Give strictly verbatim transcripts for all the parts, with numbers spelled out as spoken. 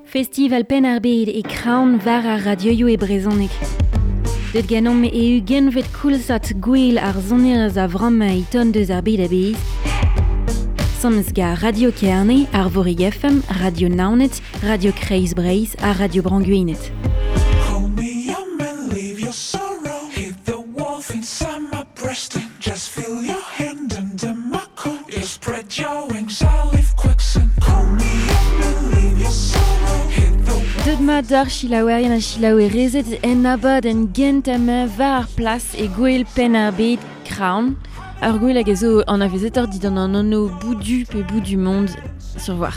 Festival Penn-ar-Bed e Kraon war ar radioioù e brezhoneg. Deut ganeomp e ugentvet koulzad gwell ar sonerezh a vremañ e ton deus ar bed a-bezh. Sonerezh gant Radio Kerne, Arvorig F M, Radio Naoned, Radio Kreiz Breizh ha Radio Bro-Gwened. Hold me up and leave your sorrow. Hit the wolf inside my breast and just feel your hand under my coat. You spread your wings, I'll leave quicksand. Call me up and leave your sorrow. Hit the Deut mat d'ar selaouerien ha selaouerezed en abadenn gentañ war ar plas e Gouel Penn-ar-Bed Kraon. Ur gwel hag a zo anavezetoc'h dindan an anv Boudu pe Bout du Monde sur war.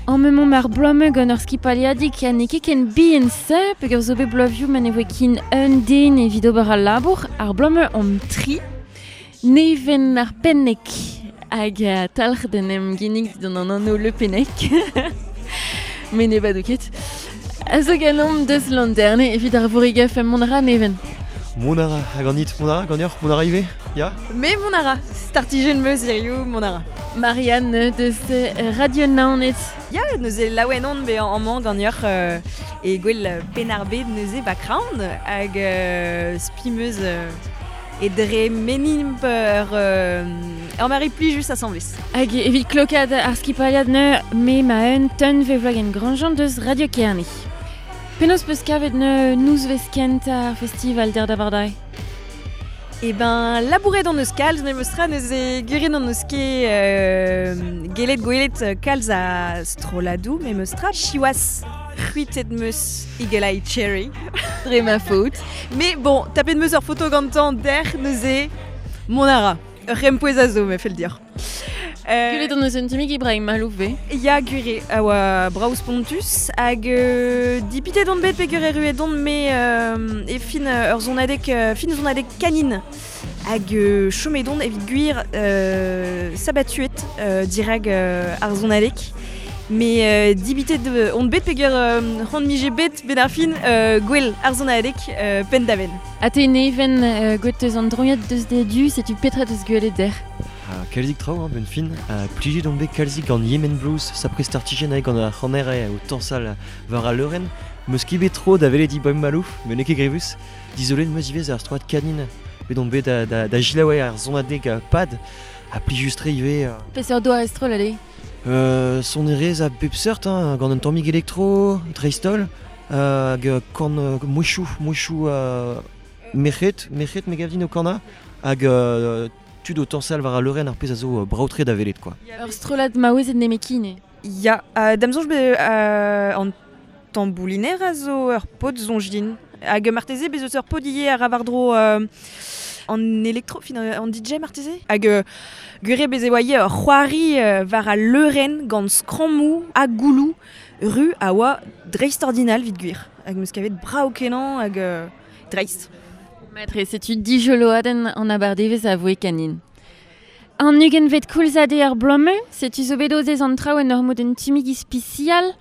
En memañ ar bloaz-mañ gant ur skipaliadig ha n'eo ket ken bihan se peogwir zo bet bloavioù ma ne voe ken un den evit ober al labour. Ar bloaz-mañ omp tri, Neven ar Pennek hag talc'h d'en em ginnig dindan an anv Le Pennec. Me ne bado ket. A zo ganeomp deus Landerne evit ar Vorig F M mont a ra Neven. Mont a ra, hag an it, mont a ra, ganeoc'h, mont a ra ivez, ya? Me mont a ra, startijenn meus hiziv, mont a ra. Marianne deus Radio Naoned. Ya, neuze laouen on bezañ amañ ganeoc'h, euh, e gwell Penn-ar-Bed neuze ba Kraon, hag, euh, spi meus, euh, e dre menimp ur, euh, ur mari plijus asambles. Hag evit klokad ar skipaliad neu me ma un ton ve vlog en Grandjean deus Radio Kerne. Penaos peus kavet neu nouzvez kent ar festival der da vardai? Eh ben, labouret an eus kalz, me meus tra neuze guret an eus ket, euh, gelet gwelet kalz a stroladou, me meus tra chiwas c'hwitet meus Eagle Eye Cherry. Dre ma faute. Mais bon, tapet meus ur foto gantañ der neuze mont a ra. Ur rempouez a zo, me fell dir. Euh, Gulet an eus un timig Ibrahim Malouf ve? Ya, gure, a oa braouz pontus, hag, euh, dipitet on bet pe gure ruet on, me, euh, e fin, euh, ur zonadeg, euh, fin zonadeg kanin. Hag, euh, chomet on evit gwir, euh, sabatuet, euh, dirag, euh, ar zonadeg. Mais, euh, dipitet on bet pe gure, euh, c'hoant mije bet ben ar fin, euh, gwell ar zonadeg, euh, penn da benn. Ha te neven, euh, gwet eus an droiad deus de du, setu petra deus gwelet der? Ah, kalzik traoù, hein, ben fin. Ah, plijet on bet kalzik gant Yemen Blues, sapre startijenn hag gant ar c'haner eo o tañsal war al leurenn. Meus ket bet tro da welet Ibrahim Malouf, met n'eo ket grevus. Dizolet meus ivez ar stroad kanin. Bet on bet da, da, da gilaouer ar zonadeg a pad, ha plijus-tre ivez, euh. Peseurt doare stroll allez? Euh, sonerezh a bep seurt, hein, gant un tammig elektro, dreist-holl, euh, hag, euh, korn, euh, mouechou, mouechou, euh, merc'hed, merc'hed me gav din o korna, hag, euh, tud o tañsal war al leurenn ar pezh a zo, euh, brav-tre da welet, quoi. Ur strollad maouezed nemetken eo. Ya, euh, da'm soñj bet, euh, an tambouliner a zo ur paotr soñj din. Hag marteze bez eus ur paotr ivez a ra war-dro, euh, an elektro, fin, an D J marteze. Hag, euh, gure bez e oa ivez ur c'hoari, euh, war al leurenn gant skrammoù ha gouloù ru a oa dreist-ordinal evit gwir. Hag meus kavet brav kenañ hag, euh, dreist. Matre, setu dijoloadenn an abardevez a voe kanin. An ugentvet koulzad eo ar bloaz-mañ, setu zo bet ozez an traoù en ur mod un timig ispisial.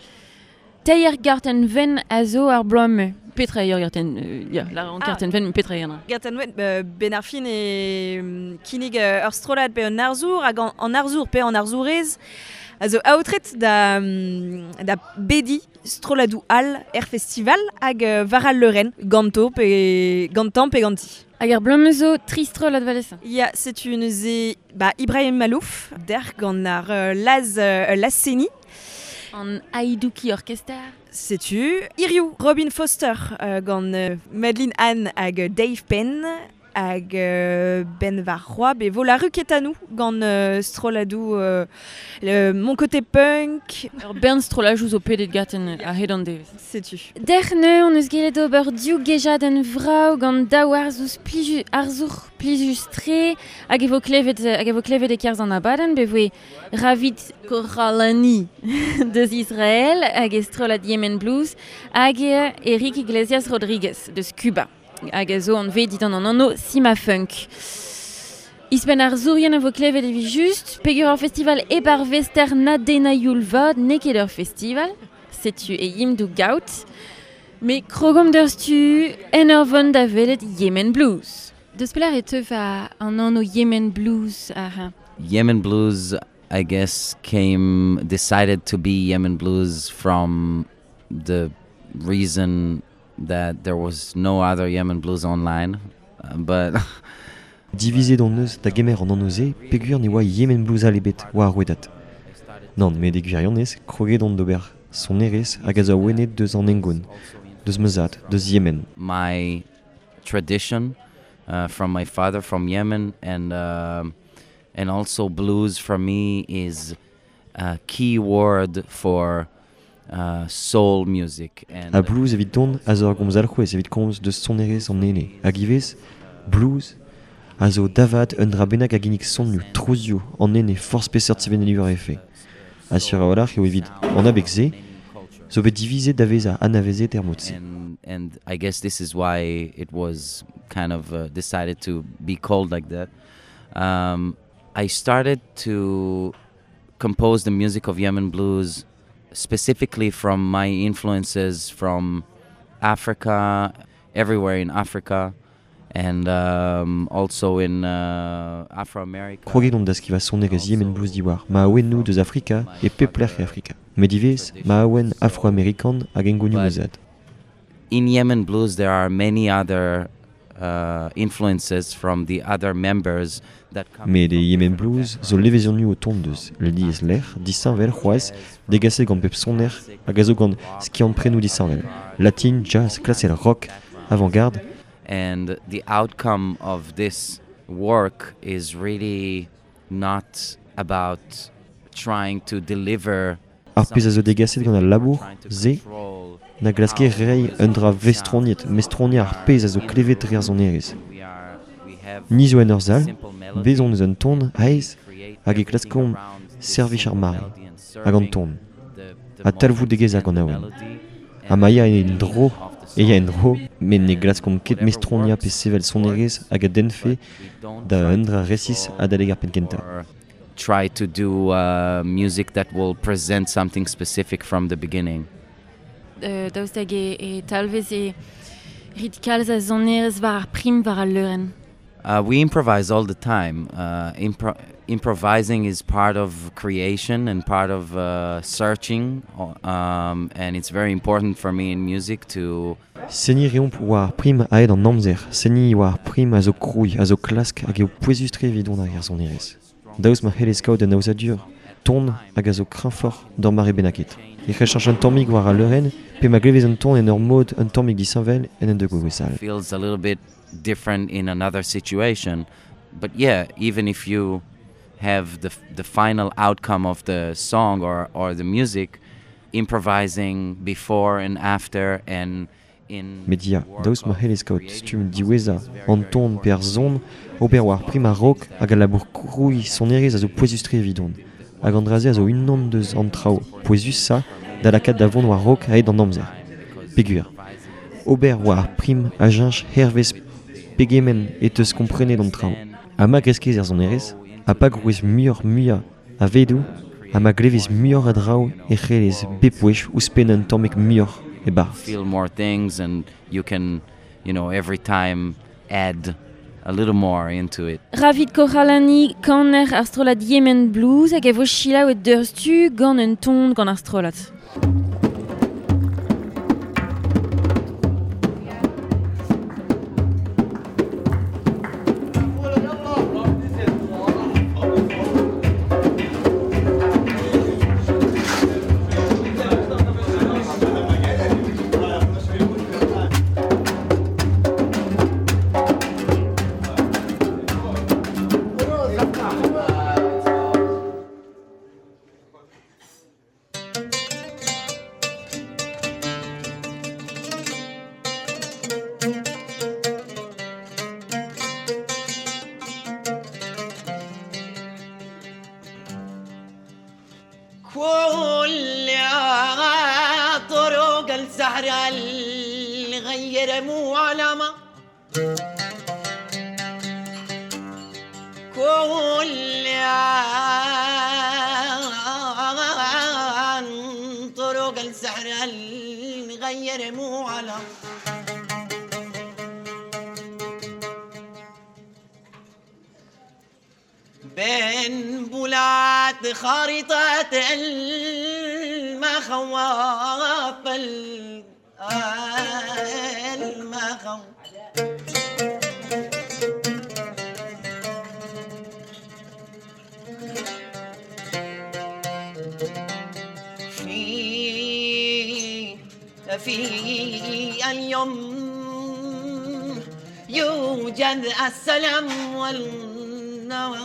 Teir gartenn wenn a zo ar bloaz-mañ. Petra eo ur gartenn, euh, ya, la an Ah. kartenn wenn, petra eo an dra? Gartenn wenn, euh, ben ar fin e, mm, kinnig, euh, ur strollad pe un arzour, hag an, an arzour pe an arzourez, a zo aotret da, mm, da bedi strolladoù all er festival hag, euh, war al leurenn, ganto pe gantañ pe ganti. Hag ar bloaz-mañ zo tri strollad valesa. Ya, setu neuze, ba, Ibrahim Malouf, der gant ar, euh, Laz, euh, Laz-Seni. An Aidouki Orchestra. Setu Iriou, Robin Foster, euh, gant, euh, Madeline Anne hag Dave Penn hag, euh, Ben Varroa, be vo la Ruketanou gant, euh, strolladoù, euh, le Mon Côté Punk. Ur bern strollajoù zo pedet gaten a hed an devez. Setu. Dec'h neu on eus gellet ober div gejadenn vrav gant daou arzour pliju, arzour plijus-tre hag e vo klevet, hag e vo klevet e-kerzh an abadenn, be voe Ravid Koralani deus Israël hag e strollad Yemen Blues hag Eric Iglesias Rodriguez deus Cuba. Hag a zo anvet dindan an anv Sima Funk. Ispen ar zourien a vo klevet evit just, peogwir ur festival e bar vester na dena youl vat, n'eo ket ur festival, setu e yim dou gaout, me krogomp d'ur stu en ur vont da welet Yemen Blues. Deus pelar e teuf a an anv Yemen Blues ar... Yemen Blues I guess, came decided to be Yemen Blues from the reason that there was no other Yemen Blues online, uh, but Divizet on eus da gemer an anv-se peogwir ne oa Yemen Blues all ebet war ar rouedad. Nann, met e gwirionez kroget on d'ober sonerezh hag a zo awenet deus an hengoun, deus ma zad, deus Yemen. My tradition uh, from my father from Yemen, and uh, and also blues for me is a key word for uh, soul music. And Ha blues evit dont a zo ar gomz alc'hwez evit komz deus sonerezh an ene. Hag ivez, blues a zo davat un dra bennak a ginnig sonioù, trouzioù, an ene forzh peseurt sevenadur efe. Ha sur a-walc'h eo evit an abeg se, zo bet divizet da vezañ anavezet er mod-se. And, and I guess this is why it was kind of uh, decided to be called like that. Um, I started to compose the music of Yemen Blues specifically from my influences from Africa, everywhere in Africa, and um, also in uh, Afro-America. Kroget on da skrivañ sonerezh Yemen Blues diwar ma awennoù deus Afrika e pep lec'h e Afrika. Met ivez ma awen afro-amerikan hag hengounioù ma zad. In Yemen Blues there are many other uh, influences from the other members that come Met e Yemen Blues zo levezonioù o tont deus lies lec'h disheñvel c'hoazh degaset gant pep soner hag a zo gant skiant-prenoù disheñvel. Latin, jazz, klasel, rock, avant-garde. And the outcome of this work is really not about trying to deliver Ar pezh a zo degaset gant al labour, se, na glaske reiñ un dra vestroniet, mestroniañ ar pezh a zo klevet dre ar sonerezh. Ni zo en ur sal, bez on eus un ton aes hag e klaskomp servij ar mare, hag an ton, ha talvoudegezh hag an awen. Ha ma ya en dro, e ya en dro, met ne glaskomp ket mestroniañ pe sevel sonerezh hag a dennfe da un dra resis adalek ar penn-kentañ. Try to do uh, music that will present something specific from the beginning. Euh, daoust hag e, e talvez e rit kalz a sonerezh war ar prim war al leurenn. Uh, we improvise all the time. Uh, impro- improvising is part of creation and part of uh, searching, um, and it's very important for me in music to... Seniñ reomp war ar prim aet an amzer, seniñ war ar prim a zo krouiñ, a zo klask hag eo pouezus-tre evidon ar sonerezh. Daoust ma c'hellez kaout un aozadur, ton hag a zo kreñvoc'h d'ur mare bennaket. E c'hell cheñch un tammig war al leurenn, pe ma glevez un ton en ur mod un tammig disheñvel en un degouezh all. Feels a little bit different in another situation, but yeah, even if you have the the final outcome of the song or, or the music, improvising before and after and in Met ya, daoust ma c'hellez kaout stumm diwezhañ, an ton pe ar son, ober war prim a-raok hag al labour krouiñ sonerezh a zo pouezus-tre evidon. Hag an dra-se a zo unan deus an traoù pouezusañ da lakaat da vont war-raok aet an amzer. Peogwir. Ober war ar prim a cheñch hervez pegement e teus komprenet an traoù. Ha ma greskez er sonerezh, ha pa grouez muioc'h muiañ a vedoù, ha ma glevez muioc'h a draoù e c'hellez bep wech ouzhpenn un tammig muioc'h e barzh. Feel more things and you can, you know, every time add a little more into it. Ravid Kohalani kaner ar strollad Yemen Blues hag e vo selaouet deurstu gant un ton gant ar strollad. كل طرق السحر اللي غير مو علامة كل طرق السحر اللي غير مو علامة بين بولات خريطة المخاوف المخاوف في في اليوم يوجد السلام والنوى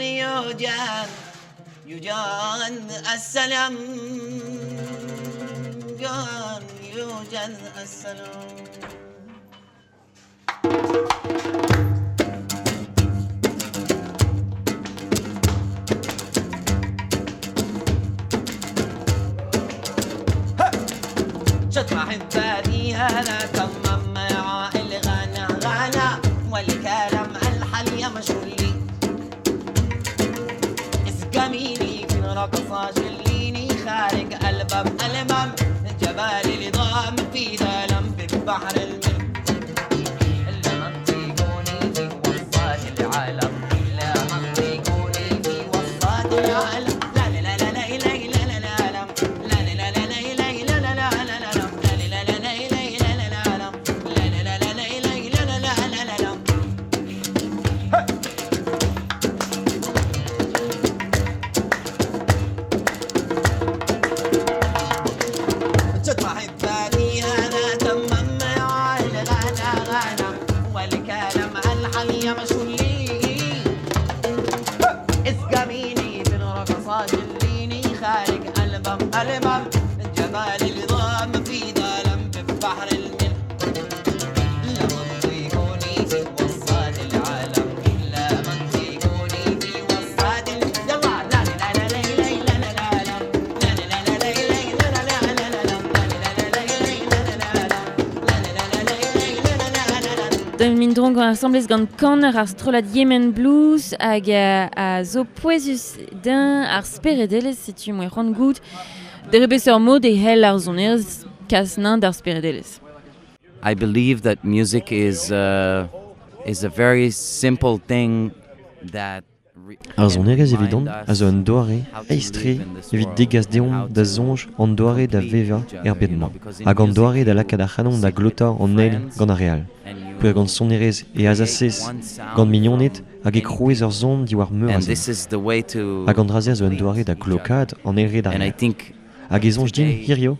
يوجد يوجد السلام يوجد السلام شطح الثاني هذا تمام مع الغنى غنى والكلام الحلية مشغولي اسقميني في الرقصة شليني خارج ألبم ألبم جبال النظام في دلم ببحر الملك إلا منطقوني في وسط العالم إلا منطقوني في وسط العالم لا لا لا لا لا لا لا لا لا لا لا لا لا لا لا لا لا لا جبال النظام في ظلم ببحر الملح لا منطقوني في وسط العالم لا منطقوني في وسط يلا لا لا لا لا لا لا لا لا لا لا لا Min dron gant asamblez gant kaner ar strollad Yemen Blues hag a zo pouezus din ar speredelez setu moe c'hoant gout dre beseurt mod e hell ar sonerezh kas nain d'ar speredelez. I believe that music is uh, is a very simple thing that Ar sonerezh evidon a zo un doare aes-tre evit degas deomp da soñj an doare da vevañ er bed-mañ hag an doare da lakaat ar c'hanon da glotañ an eil gant ar re all. Peogwir gant sonerezh e azasez gant mignoned hag e krouez ur son diwar meur a zen. Hag an dra-se a zo un doare da glokaat an eil re d'ar re all. Hag e soñj din hirio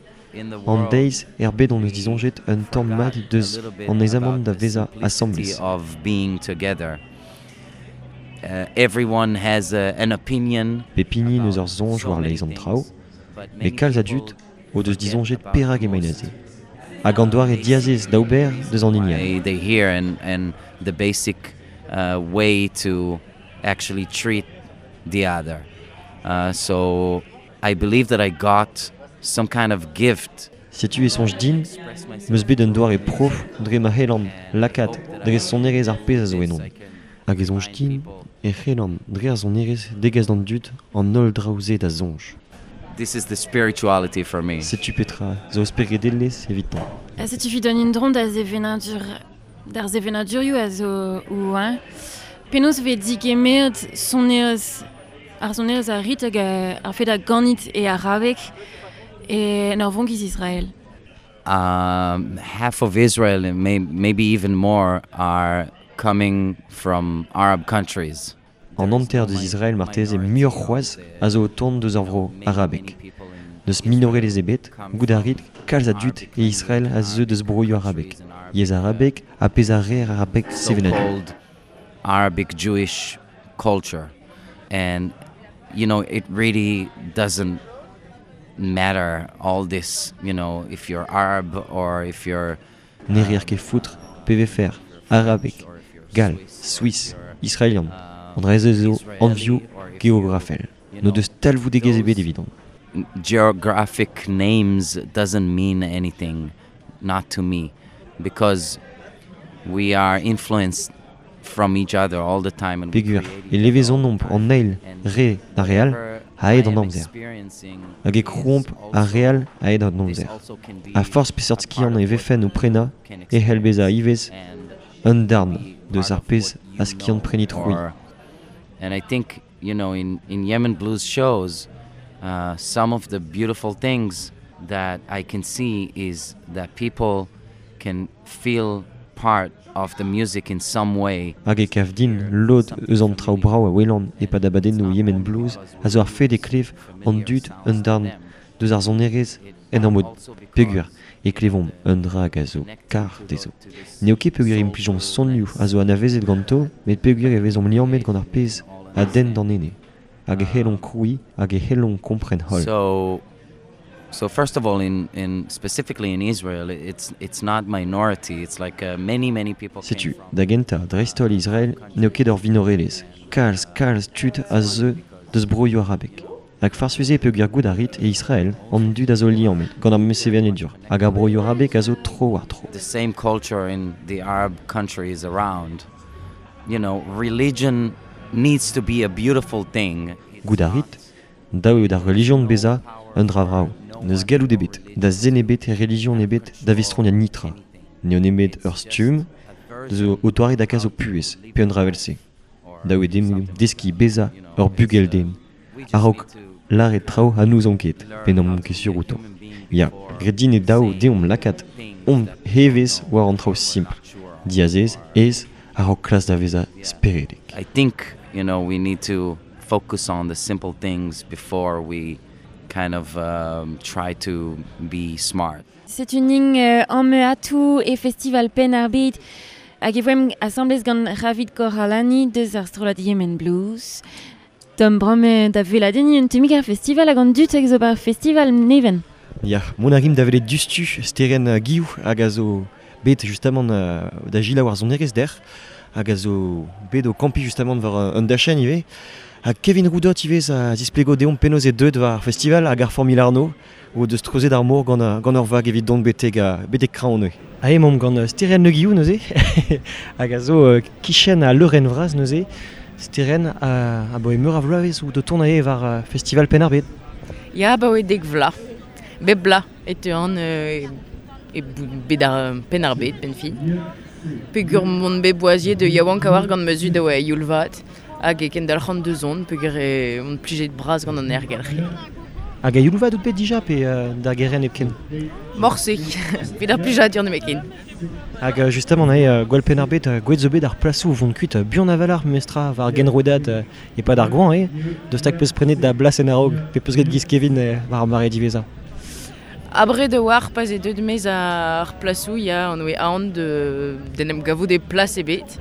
an deiz er bed on eus disoñjet un tamm mat deus an aezamant da vezañ asambles. Uh, everyone has a, an opinion. Pep hini n'eus ur soñj war leizh an traoù, met kalz a dud o deus disoñjet perak emaint aze. Hag an doare diazez da ober deus an hini all. They hear and, and the basic uh, way to actually treat the other. Uh, so I believe that I got some kind of gift. Setu e soñj din, meus bet un doare prof dre ma c'hellan lakaat dre sonerezh ar pezh a zo ennon. Hag e soñj din e c'hellan dre ar sonerezh degas d'an dud an holl draoù-se da soñj. This is the spirituality for me. Setu petra zo speredelezh evitañ. Ha setu evit an indron da sevenadur d'ar sevenadurioù a zo ou hein. Penaos vez digemeret sonerezh ar sonerezh a rit hag ar fed a ganit e arabek e en ur vonkiz Israel. Um, half of Israel and may, maybe even more are coming from Arab countries. An hanter deus Israel marteze muioc'h c'hoazh a zo o tont deus ar vro arabek. Deus minorelezh ebet, gout a rit kalz a dud e Israel a zeu deus broioù arabek. Yezh arabek ha pezh a reer arabek sevenadur. Arabic Jewish culture. And you know, it really doesn't matter all this, you know, if you're Arab or if you're Ne reer ket foutre, pe vefer, arabek, gall, Suisse, israelian, an dra-se zo anvioù geografel. No deus talvoudegezh ebet evidon. Geographic names doesn't mean anything, not to me, because we are influenced from each other all the time. And Peogwir e levezonomp an eil re d'ar re all a-hed an amzer. Hag e krouomp ar re all a-hed an amzer. A forzh peseurt skiant e vefen o prenañ e c'hell bezañ ivez un darn deus ar pezh a skiant prenit c'hwi. And I think, you know, in, in Yemen Blues shows, uh, some of the beautiful things that I can see is that people can feel part of the music in some way. Hag e kav din lod eus an traoù brav a welan e-pad abadennoù Yemen Blues a zo ar fed e klev an dud un darn deus ar sonerezh en ur mod peogwir e klevomp un dra hag a zo kar dezho. N'eo ket peogwir implijomp sonioù a zo anavezet ganto, met peogwir e vezomp liammet gant ar pezh a denn d'an ene. Hag e c'hellomp krouiñ hag e c'hellomp kompren holl. So, so first of all, in, in specifically in Israel, it's, it's not minority, it's like uh, many, many people came Setu, from da gentañ, dreist-holl Israel, n'eo ket ur vinorelezh. Kalz, kalz tud a zeu deus broioù arabek. Hag farsus eo peogwir goût a rit e Israel an dud a zo liammet gant ar mesevenadur hag ar broioù arabek a zo tro war tro. The same culture in the Arab countries around. You know, religion needs to be a beautiful thing. Goût a rit, dav eo d'ar relijion bezañ un dra vrav. N'eus galloud ebet, da zen ebet e relijion ebet da vestroniañ nitra. N'eo nemet ur stumm zo o toare da kas o puhez, pe un dra evel-se. Dav eo deomp deskiñ bezañ ur bugel den. A-raok lâret traoù ha n'ouzon ket, pe n'omp ket sur outo. Ya, graet din eo dav deomp lakaat omp hevez war an traoù simpl. Diazez, aes, a-raok klas da vezañ speredek. I think, you know, we need to focus on the simple things before we kind of um, try to be smart. Setu ning euh, an me atou e festival Penn ar Bed hag e voemp asamblez gant Ravid Koralani deus ar strollad Yemen Blues. Tom bramme da veladenni un temik ar festival hag an dud hag zo bar festival neven. Ya, mont a rim da welet dustu steren uh, Guillou hag a zo bet justamant uh, da gila war sonerezh der hag a zo bet o kampi justamant war uh, un dachenn ivez. Ha Kevin Roudot ivez a zisplego deomp penaos e deuet war ar festival hag ar Formule Arnaud o deus treuzet ar mor gant, uh, gant ur vag evit dont betek, uh, betek kraon neuze. Ha emaomp gant uh, Steren Le Guillou neuze hag a zo uh, kichen a leurenn vras neuze. Steren a, a boe meur a vloavezh ou de tournae war uh, festival Penn ar Bed. Ya, ba oe dek vla. Bep bla e teuan euh, e bet ar Penn ar Bed, ben fin. Peogwir mont bet boaziet de yaouank a war gant ma zud a oa youl vat hag e kendalc'han deus on, peogwir e on plijet bras gant an aergelc'h. Hag a youl vat out bet dija pe euh, d'ar geren hepken? Morse, evit ar plijadur nemetken. Hag euh, justement eo euh, gwell Penn ar Bed, euh, gwet zo bet ar plasoù vont kuit euh, buan aval ar memestra war genrouedad euh, e-pad ar goañv eo, deus tak peus prenet da blas en a-raok, pe peus get giz Kevin euh, war ar mare diwezhañ. Abred e war pas e deut mez ar plasoù ya an oe aon de d'en em gavout e plas ebet.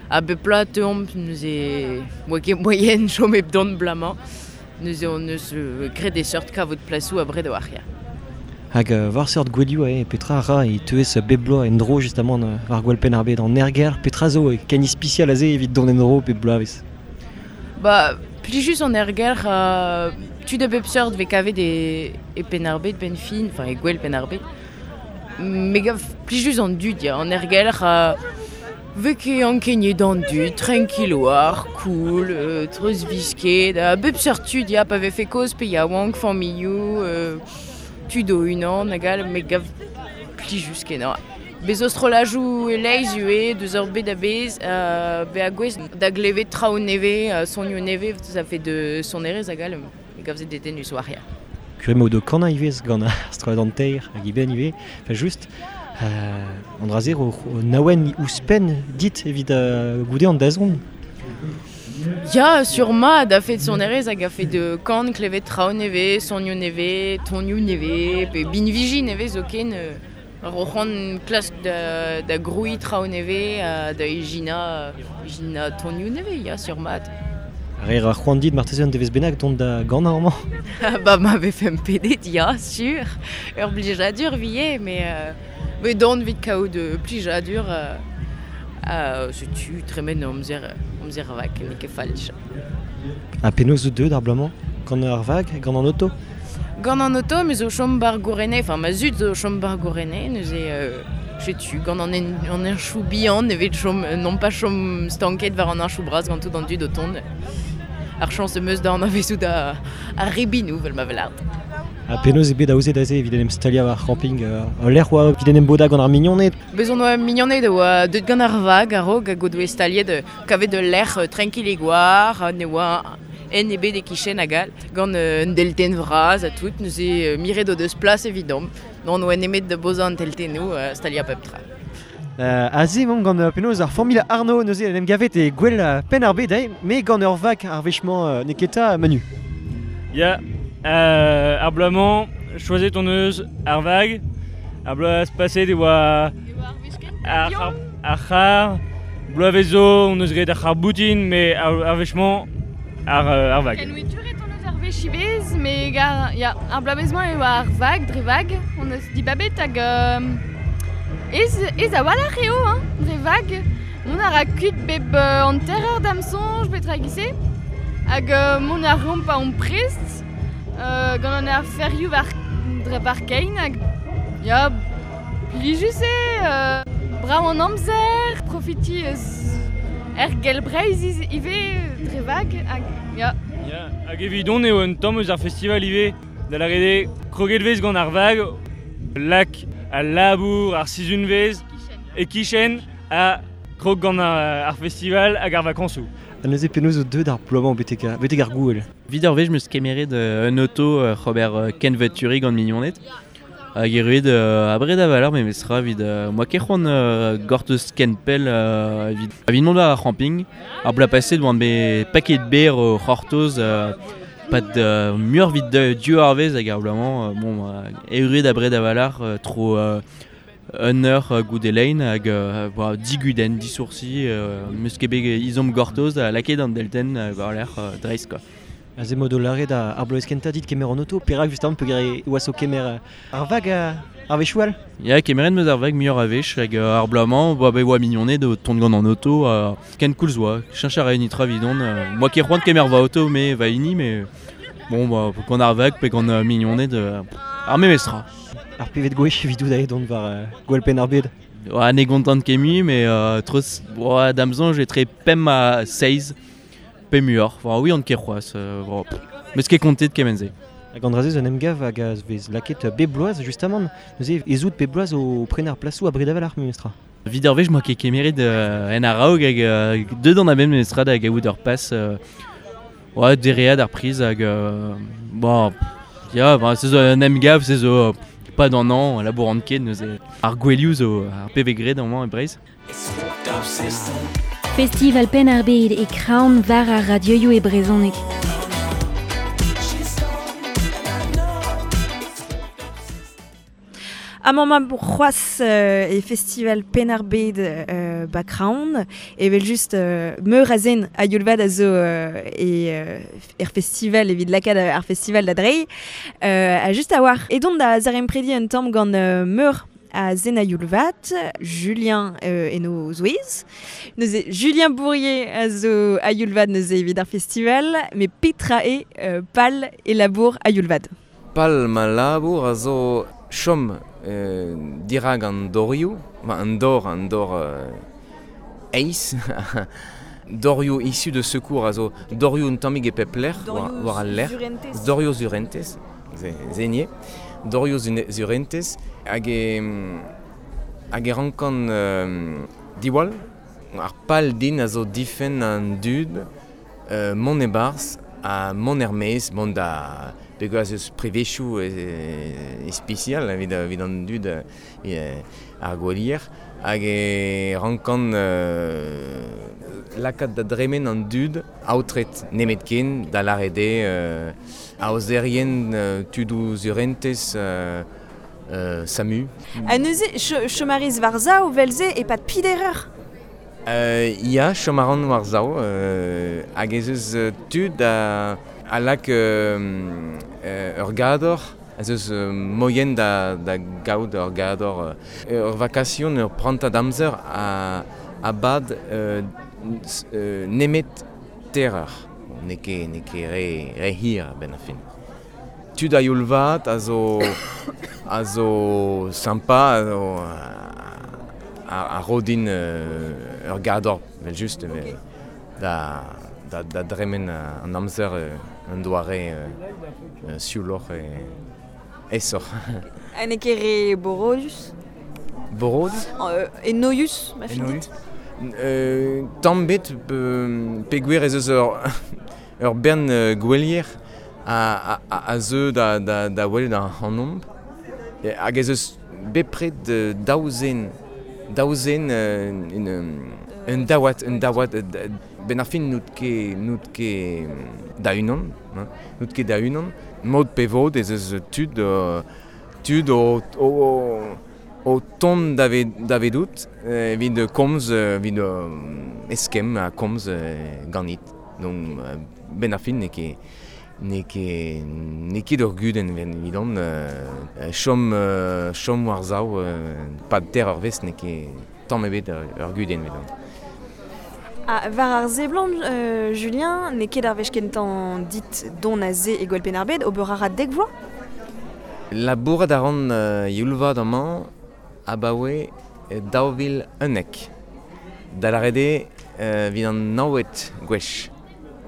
A bep plat teuomp neuze oa ket moyen chom hep dont blamañ. Neuze on eus euh, graet e seurt kavout plasoù abred war ya. Hag euh, war seurt gwelioù eo, petra ra e teuez bep bloaz en dro justamant euh, war gwell Penn ar Bed an erger, petra zo e ken ispisial aze evit dont en dro bep bloavezh. Ba, plijus an erger, uh, tud a bep seurt vez kavet e, e Penn ar Bed ben fin, enfin e gwell Penn ar Bed. Me gav plijus an dud ya, an erger uh, vez ket ankeniet an dud, tranquil war, cool, euh, treuz visket, a bep seurt tud ya, pa vefe kozh pe yaouank, familhoù, euh, tud o unan hag all, me gav plijus kenañ. Bez o strollajoù e-leizh ivez, deus ur bet a-bezh, euh, be a gwez da glevet traoù nevez, euh, sonioù nevez, ça fait de sonerezh hag all, me gav se dedennus war ya. Kurem o do kannañ ivez gant ar strollad an teir hag iben ivez, enfin just, euh, an dra-se o, o naouen ouzhpenn dit evit euh, goude an dazont. Ya, sur ma, da fet sonerezh hag a fet de kan klevet traoù nevez, sonioù nevez, tonioù nevez, pe binviji nevez zoken, euh, ar oc'han klask da, da grouiñ traoù nevez, euh, da ijina, ijina tonioù nevez, ya, sur mat. Ar ar c'hoant dit marteze an devezh bennak dont da gannañ amañ. Ba ma vefe pedet, ya, sur. Ur blijadur vie, mais euh, mais dont vit kaout de plijadur euh, euh, setu tremen amzer, amzer vak, n'eo ket falch. Ha penaos zo deuet ar bloaz-mañ? Gant ar vag, gant an oto? Gant an oto, me zo chom bar gourene, enfin ma zud zo chom bar gourene, neuze euh, setu, gant an en, an enchou bihan, evet chom, non pas chom stanket war an enchou bras gant tout an dud o tont. Ar chañs meus da an avezou da ar ribinou, vel ma velart. Ha penaos eo bet aozet aze evit en em staliañ war ar camping euh, lec'h oa evit en em bodañ gant ar mignoned. Bez on oa mignoned oa deut gant ar vag a-raok hag o doe staliet euh, kavet ul lec'h euh, tranquille e gwar, ne oa en ebet e kichen hag all, gant euh, un deltenn vras ha tout, neuze euh, miret o deus plas evidomp. Non oa nemet da bozañ an teltennoù euh, staliañ pep tra. Euh, aze emaomp gant euh, penaos ar familh Arnaud neuze en em gavet e gwell euh, penn ar bed eh, me gant ur vag ar wech-mañ euh, neketa Manu. Ya, euh, ar bloaz-mañ, choazet hon eus ar vag, ar bloaz paset e oa ar, ar, ar c'har, bloavezh zo hon eus graet ar c'har boutin, mais ar, ar wech-mañ ar, euh, ar vag. Kenwituret hon eus ar wech ivez, me gar, ya, ar bloavezh-mañ eo ar vag, dre vag, hon eus dibabet hag euh, ez, ez a-walc'h eo, hein, dre vag. Mont a ra kuit bep euh, hanter eur da'm soñj petra e-giz-se, hag euh, mont a reomp pa omp prest, euh, gant an ar ferioù war, dre war kein, hag ya, plijus eo, euh, brav an amzer, profiti eus er gell Breizh iz- ivez dre vag, hag ya. Ya, hag evidon eo un tamm eus ar festival ivez, da lâret eo kroget vez gant ar vag, lak al labour, ar sizhunvezh, e kichen, ha krog gant ar, ar festival hag ar vakañsoù. Ha neuze penaos o deut ar bloaz-mañ betek ar, betek ar gouel. Evit ar wech 'm eus kemeret euh, un auto euh, Robert euh, kenveturi gant mignoned. Hag erruet euh, abred a-walc'h memestra evit euh, moa ket c'hoant euh, gortoz ken pell euh, evit, evit mont war ar camping. Ar bloaz paset oan bet paket ber o c'hortoz euh, pad euh, muioc'h evit de, div eurvezh hag ar bloaz-mañ euh, bon, euh, erruet abred a-walc'h euh, tro euh, un eur euh, goude lein hag euh, boa, digudenn, disoursi, euh, 'm eus ket bet izom gortoz ha lakaet an deltenn euh, war lerc'h euh, dreist quoi. Aze mod o lâret ar, ar bloavezh kentañ dit kemer an auto, perak justement peogwir e oas o kemer euh, ar vag euh, ar wechoù all. Ya, kemeret 'm eus ar vag muioc'h a wech hag euh, ar bloaz-mañ, boa bet oa mignoned o tont gant an auto, euh, ken koulz oa, cheñch a ra nitra evidon, euh, moa ket c'hoant kemer va auto me va hini, mais bon, bah, gant ar vag pe gant euh, mignoned, euh, ar memestra. Ar pevet gwech evidout aet dont war euh, gwell penn ar bed. Oa, ne gontant ket mui, mais euh, treuz, oa, da'm soñj etre pemp ha seizh, pe muioc'h. Enfin, oui, on ket c'hoazh, euh, bon, pff, 'm eus ket kontet kement-se. Hag an dra-se zo en emgav hag a vez lakaet bep bloaz justement, neuze ez out bep bloaz o prenañ ar plasoù abred a-walc'h memestra. Evit ar wech 'moa ket kemeret euh, en a-raok hag euh, deut an a-benn memestra da gaout ur pas euh, oa, dereat ar priz hag euh, bon, ya, bah, se zo un emgav, se zo euh, pas d'an an, labour an ket neuze ar gwelioù zo ar P V graet amañ e Breizh. Festival Penn ar Bed e Kraon war ar radioioù e brezhoneg. Amañ ma c'hoazh euh, e Festival Penn ar Bed euh, ba Kraon, evel just euh, meur a zen a youl vat a zo euh, e euh, er festival evit lakaat ar festival da dreiñ. Euh, a just a war. Edon da zaremprediñ un tamm gant euh, meur a zen a youl vat, Julien euh, eno zouez. Neuze Julien Bourrier a zo a youl vat neuze evit ar festival, met petra eo euh, pal e labour a youl vat. Pal ma labour a zo chom euh, dirak an dorioù, ma an dor, an dor euh, eiz, dorioù issu de secours a zo dorioù un tammig e pep lec'h, war, war al lec'h. Dorioù surentez, ze, zenie, dorioù zune-, surentez, hag e, hag e rankan euh, diwall, ar pal din a zo difenn an dud, euh, mont e-barzh ha mont er-maez, mont da peogwir eus privezioù e, e spesial evit, evit an dud, e, ar gwelier, hag e rankan euh, lakaat da dremen an dud aotret nemetken da lâret eo euh, aozerien euh, tudoù surentez euh, euh, SAMU. Ha neuze, ch-, chom a rez war sav vel-se e pad peder eur. Euh, ya, chom a ran war sav, euh, hag ez eus, euh, tud a, a lak, euh, euh, ur gador, ez eus, euh, moien da, da gaout ur gador, euh, ur vakasion, ur prantad amzer a, a bad, euh, s-, euh, nemet ter eur. Bon, n'eo ket, n'eo ket re, re hir a-benn ar fin. Tud a youl vat a zo, a zo sympa, a zo, a, a ro din, euh, ur gador, vel just, okay. da, da, da dremen an amzer, euh, un doare, euh, euh, siouloc'h e, Esoc'h. Ha n'eo ket re borodus? Borodus? Euh, enoius, ma fin dit? Euh, tamm bet peogwir ez eus ur, ur bern uh, gwelier a, a, a zeu da, da, da welet ar c'hanomp. Hag ez eus bepred daou zen, daou zen euh, un, un daouad, un daouad, ben ar fin n'out ket, n'out ket da unan, hein, n'out ket da unan. Mod pe vod ez eus tud, euh, tud o, o, o tont davedout evit komz, evit eskemm ha komz ganit. Donc ben ar fin n'eo ket n'eo ket n'eo ket ur gudenn evidon euh, chom euh, chom war sav euh, pad ter ur vez n'eo ket tamm ebet ur gudenn evidon. Ah, war ar seblant, euh, Julien, n'eo ket ar wech kentañ dit don a ze e gwell Penn-ar-Bed, ober a ra dek vloaz? Labourat a ran euh, youlvat amañ abaoe daou vil unnek. Da lâret eo euh, evit an navet gwech.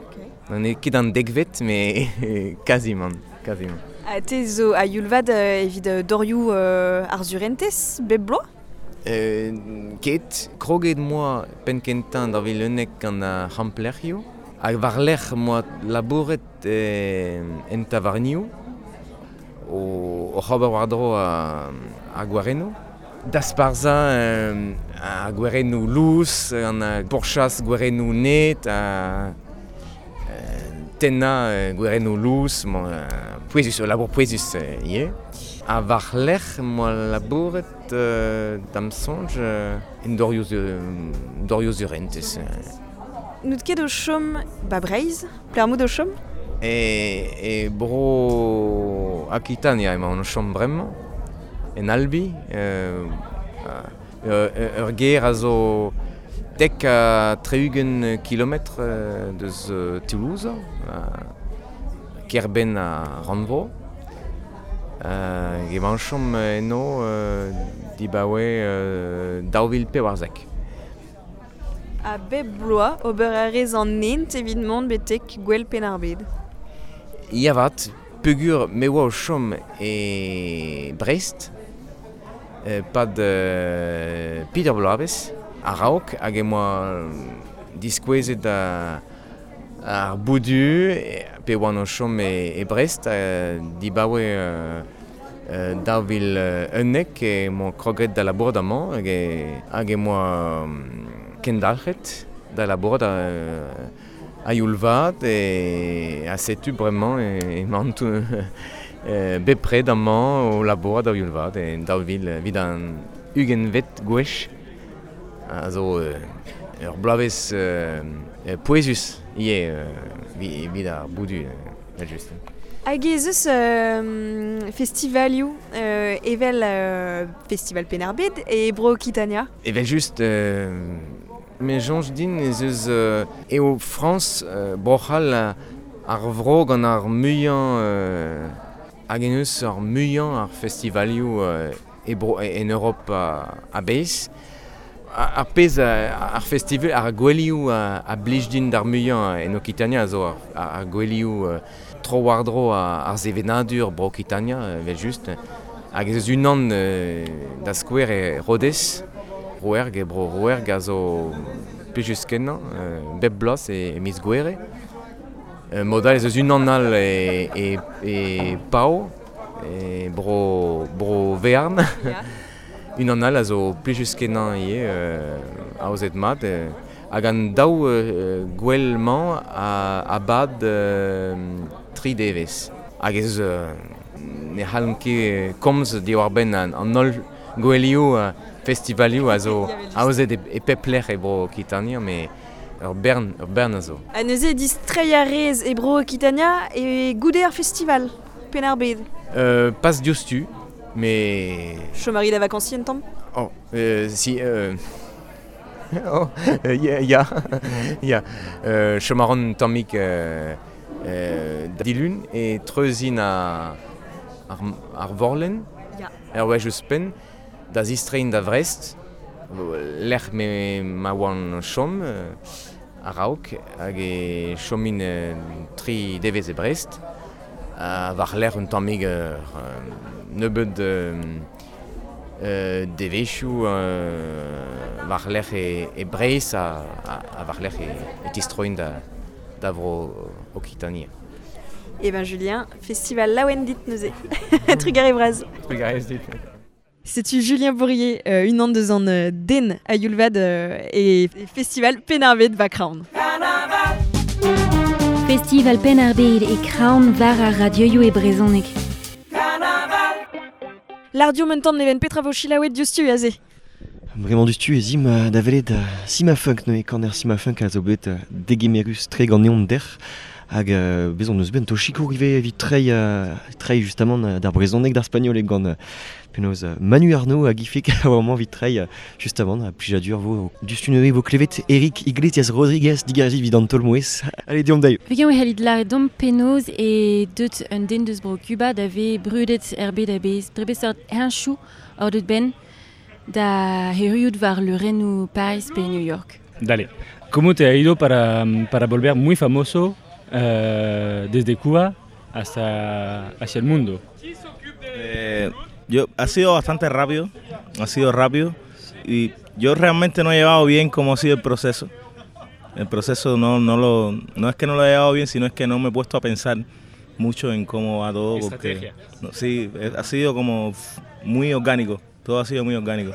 Okay. N'eo ket an dekvet, mais quasiment, quasiment. Ha te zo a youlvat euh, evit dorioù euh, ar surentez, bep bloaz? Euh, ket, kroget moa penn kentañ daou vil unnek gant ar c'hamplec'hioù. Hag war-lerc'h moa labouret eh, en tavarnioù, o, o c'hober war-dro ar gwarennoù. Dasparzhañ euh, ar gwarennoù lous, an pourchas gwarennoù net, a euh, tennañ gwarennoù lous, bon, euh, pouezus, labour pouezus ivez. Ha war-lerc'h moa labouret euh, da'm soñj euh, en dorioù dorioù surentez. N'out ket o chom ba Breizh? Pelec'h o chom? E, e bro Akitania emaon o chom bremañ, en Albi, euh, euh, ur gêr a zo dek ha tri-ugent kilometr euh, deus euh, Toulouse, euh, kêr-benn ar rannvro. Euh, emaon chom eno euh, dibaoe euh, daou vil pevarzek. Ha bep bloaz ober a rez an hent evit mont betek gwell Penn-ar-Bed. Ya vat, peogwir me oa o chom e Brest, euh, pad euh, Peter bloavezh, a-raok hag em boa diskouezet a, ar boudu pe oan o chom e, e Brest euh, dibaoe euh, euh, daou vil unnek e moa kroget da labourat amañ hag e, hag em boa kendalc'het da labourat a, a youl vat e a setu bremañ e, emaon euh, bepred amañ o labourat a youl vat e daou vil evit an ugentvet gwech a zo euh, ur bloavezh euh, pouezus ivez euh, evit ar boudu euh, just. Hag ez eus euh, festivalioù euh, evel euh, Festival Penn-ar-Bed e Bro Okitania? Evel just, euh, me soñj din ez eus euh, eo Frañs euh, Bro-C'hall ar vro gant ar muiañ euh, hag en eus ar muiañ ar festivalioù euh, e bro, en Europe a-bezh. Ar pezh ar festival ar gouelioù a, a blij din d'ar muiañ en Okitania a zo ar, ar gouelioù euh, tro war-dro ar sevenadur bro Okitania evel just. Hag ez eus unan euh, da skouer e Rodez, Rouerg e bro Rouerg a zo plijus kenañ, euh, bep bloaz e, e miz Gouere. Euh, mod all ez eus unan all e, e, e Pau, e bro, bro Vearn. Yeah. Unan all a zo plijus kenañ ivez, euh, aozet mat. Euh, hag an daou euh, gwell-mañ a, a bad euh, tri devezh. Hag ez eus euh, ne c'hallomp ket komz diwar-benn an, an holl gouelioù uh, festivalioù a zo aozet e, e pep lec'h e bro Okitania, mais ur bern, ur bern a zo. Ha neuze distreiñ a rez e bro Okitania e goude ar festival Penn-ar-Bed? Euh, pas diouzhtu, mais... Chom a ri da vakañsiñ un tamm? Oh, euh, si... Euh... oh, euh, ya, ya, ya. Euh, chom a ran un tammig euh, euh, dilun e treuzin a, ar, ar vorlenn, Ya. er wech ouzhpenn, da zistreiñ da Vrest, lec'h me ma oan chom euh, a-raok, hag e chomin euh, tri devezh e Brest, A war lec'h un tammig ur nebeud euh, devezhioù euh, war lec'h e, e Breizh a, a, a war lec'h e, e tistroin da, da vro Okitania. Eh ben Julien, festival laouen dit neuze. Trugarez braz. Trugarez dit. Setu Julien Bourrier, euh, unan deus an euh, den a Yulvad euh, e festival Penn-ar-Bed ba Kraon. Festival Penn-ar-Bed e Kraon war ar radioioù e brezhoneg. L'ardio mentan neven petra vo chilaouet diouzhtu aze. Bremañ diouzhtu e zim da welet Sima Funk neuze kaner Sima Funk a zo bet degemerus tre ganeomp dec'h hag euh, bez on eus bet un tochikour ivez evit treiñ euh, treiñ justement d'ar brezhoneg d'ar spagnoleg gant euh, penaos euh, Manu Arnaud hag ifik a oa evit treiñ justement a plijadur vo diouzhtu neuze vo klevet Eric Iglesias Rodriguez digarez evit an taol-mouezh. Allez deomp daio. Vegan e c'hellit lâret domp penaos e deut un den deus bro Cuba da ve brudet er bed a-bezh dre beseurt heñchoù hor deut ben da heriout war leurennoù Paris pe New York. Dale. ¿Cómo te ha ido para, para volver muy famoso eh, desde Cuba hasta hacia el mundo? Eh, yo, ha sido bastante rápido, ha sido rápido y yo realmente no he llevado bien cómo ha sido el proceso. El proceso no, no, lo, no es que no lo he llevado bien, sino es que no me he puesto a pensar mucho en cómo va todo. Porque, Estrategia. no, sí, ha sido como muy orgánico, todo ha sido muy orgánico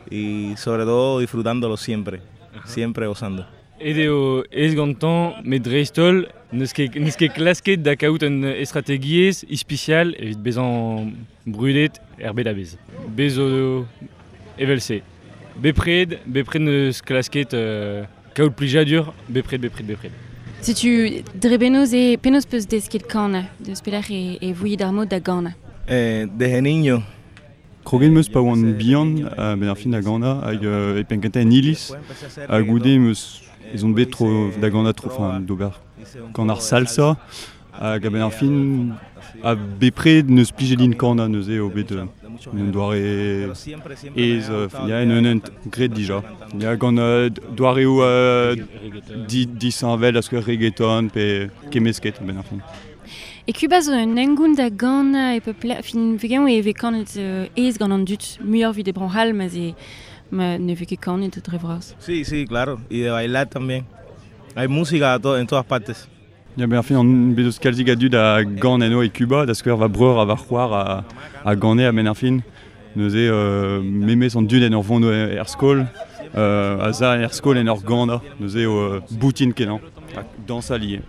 y sobre todo disfrutándolo siempre, Ajá. siempre gozando. Edeo ez gantañ, met dreist-holl, n'eus ket, n'eus ket klasket da kaout un estrategiezh ispisial evit bezañ brudet er bed a-bezh. Bez zo evel-se. Bepred, bepred n'eus klasket euh, kaout plijadur, bepred, bepred, bepred. Setu dre penaos e penaos peus desket kanañ, deus pelec'h e, e voiet ar mod da ganañ. Eh, desde niño. Kroget meus pa oan bihan, euh, ben ar fin da ganañ, hag euh, e penn-kentañ en iliz, ha goude meus ez on bet tro da ganañ tro, enfin, d'ober gant ar salsa, hag a-benn ar fin, a bepred neus plijet din kanañ neuze eo bet euh, un doare ez, euh, ya en un hent graet dija. Ya gant euh, doareoù euh, di, disheñvel a skouer reggaeton pe kemmesket a-benn ar fin. E Cuba zo un hengoun da ganañ e pep lec'h, fin vegan e vez kanet euh, ez gant an dud, muioc'h evit e Bro-C'hall, ma ze ma ne vez ket kanet dre vras. Sí, sí, claro, y de bailar también. Hay música to- en todas partes. Ya ben ar fin an bet eus kalzik a dud a gan eno e Cuba, da skouer va breur a va c'hoar a, a gane a-benn ar fin. Neuze euh, memes an dud en ur vont er skol, euh, a za er skol en ur ganañ, neuze eo euh, boutin kenañ, ha dañsal ivez.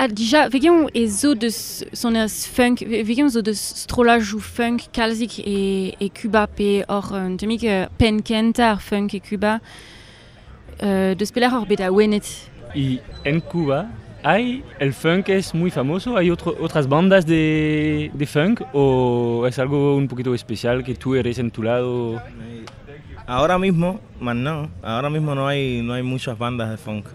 Ah, dija, vegan e zo deus sonerezh funk, vegan zo deus strollajoù funk kalzik e, e Cuba pe hor un tammig euh, penn kentañ ar funk e Cuba, euh, deus pelec'h hor bet awenet. Y en Cuba hay el funk es muy famoso, hay otro, otras bandas de, de funk o es algo un poquito especial que tú eres en tu lado. Ahora mismo, más no, ahora mismo no hay, no hay muchas bandas de funk.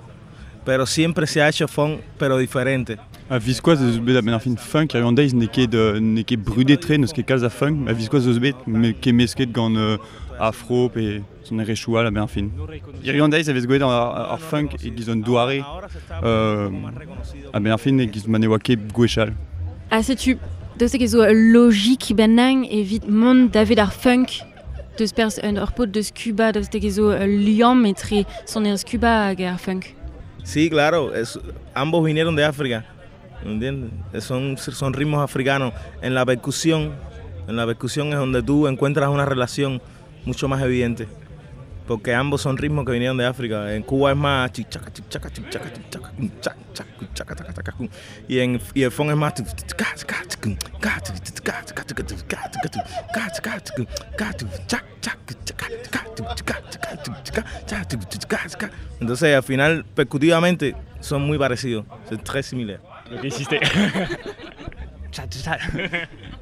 Pero siempre se ha hecho funk, pero diferente. A viskoazh eus bet a-benn ar fin funk, ar deiz n'eo ket, euh, n'eo ket brudet-tre, n'eus ket kalz a funk, a viskoazh eus bet, me ket mesket gant euh, afro pe sonerezhioù all a-benn ar fin. Hiziv an deiz a vez gwelet ar, ar funk e-giz un doare, euh, a-benn ar fin e-giz ma ne oa ket gwechall. Ah, setu, daoust hag ez zo ul logik bennak evit mont davet ar funk deus perzh un ur paotr deus Cuba, daoust hag ez zo ul liamm etre sonerezh Cuba hag ar funk. Sí, claro, es, ambos vinieron de África, ¿entiendes? Son, son ritmos africanos. En la percusión, en la percusión es donde tú encuentras una relación mucho más evidente, porque ambos son ritmos que vinieron de África. En Cuba es más chichaca, chichaca, chichaca, chichaca, chac, chac, chaca, chaca, chaca, y en y el funk es más Entonces, al final, percutivamente, son muy parecidos, son très similaires. Lo que hiciste.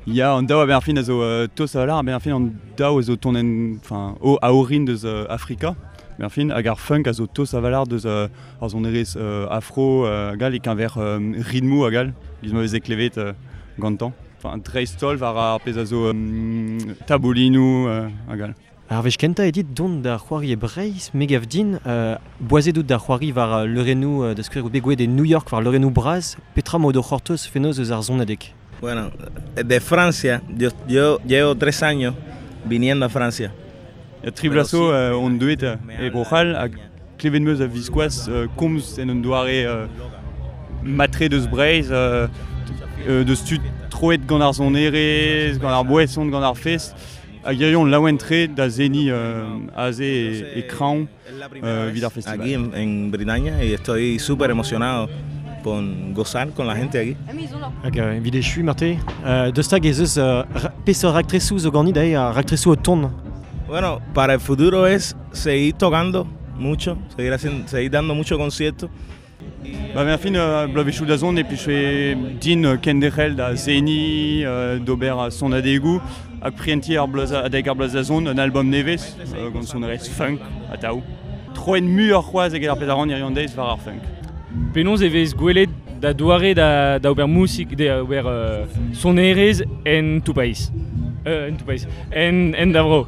Ya, an daou a-benn ar fin a zo euh, tost a-walc'h, a-benn ar fin an daou a zo tont en, enfin, o, a orin deus euh, Afrika, a-benn ar fin, hag ar funk a zo tost a-walc'h deus euh, ar sonerezh euh, afro euh, hag all e-keñver euh, ritmoù hag all, giz ma veze klevet euh, gantañ. Enfin, dreist-holl war ar pezh a zo euh, taboulinoù euh, hag all. Ar wech kentañ eo dit dont da c'hoari e Breizh, me gav din, euh, boazet out da c'hoari war leurennoù euh, da skouer out bet gwelet e New York war leurennoù bras, petra emañ o c'hortoz fenoz eus ar sonadeg. Bueno, de Francia, yo, yo llevo tres años viniendo a Francia. Ya tri bloaz zo euh, on deuet e Bro-C'hall hag klevet meus a viskoazh euh, komz en un doare euh, matre deus Breizh, euh, euh, deus tud troet gant ar sonerezh, gant ar boeson, gant ar fest, hag hiziv on laouen-tre da seniñ euh, aze e, e Kraoñ euh, evit ar festival. Aquí en, en Bretaña y estoy súper emocionado por gozar con la gente aquí. Hag euh, evit echuiñ marte, euh, deus tag ez eus euh, ra- peseurt raktresoù zo ganit aze, ar raktresoù o tont. Bueno, para el futuro es seguir tocando mucho, seguir haciendo, seguir dando muchos conciertos. Ba ben fin euh, bloavezhioù da zont e plije din euh, kenderc'hel da seniñ, euh, d'ober a sonadegoù, hag prientiñ ar bloaz adeg ar bloaz da zont, un album nevez, euh, gant sonerezh funk, atav. Troet muioc'h c'hoazh eget ar pezh a ran hiziv an deiz war ar funk. Penaos e vez gwelet da doare da, da ober musik, da ober euh, sonerezh en tout paiz. Euh, en tout paiz. En, en da vro.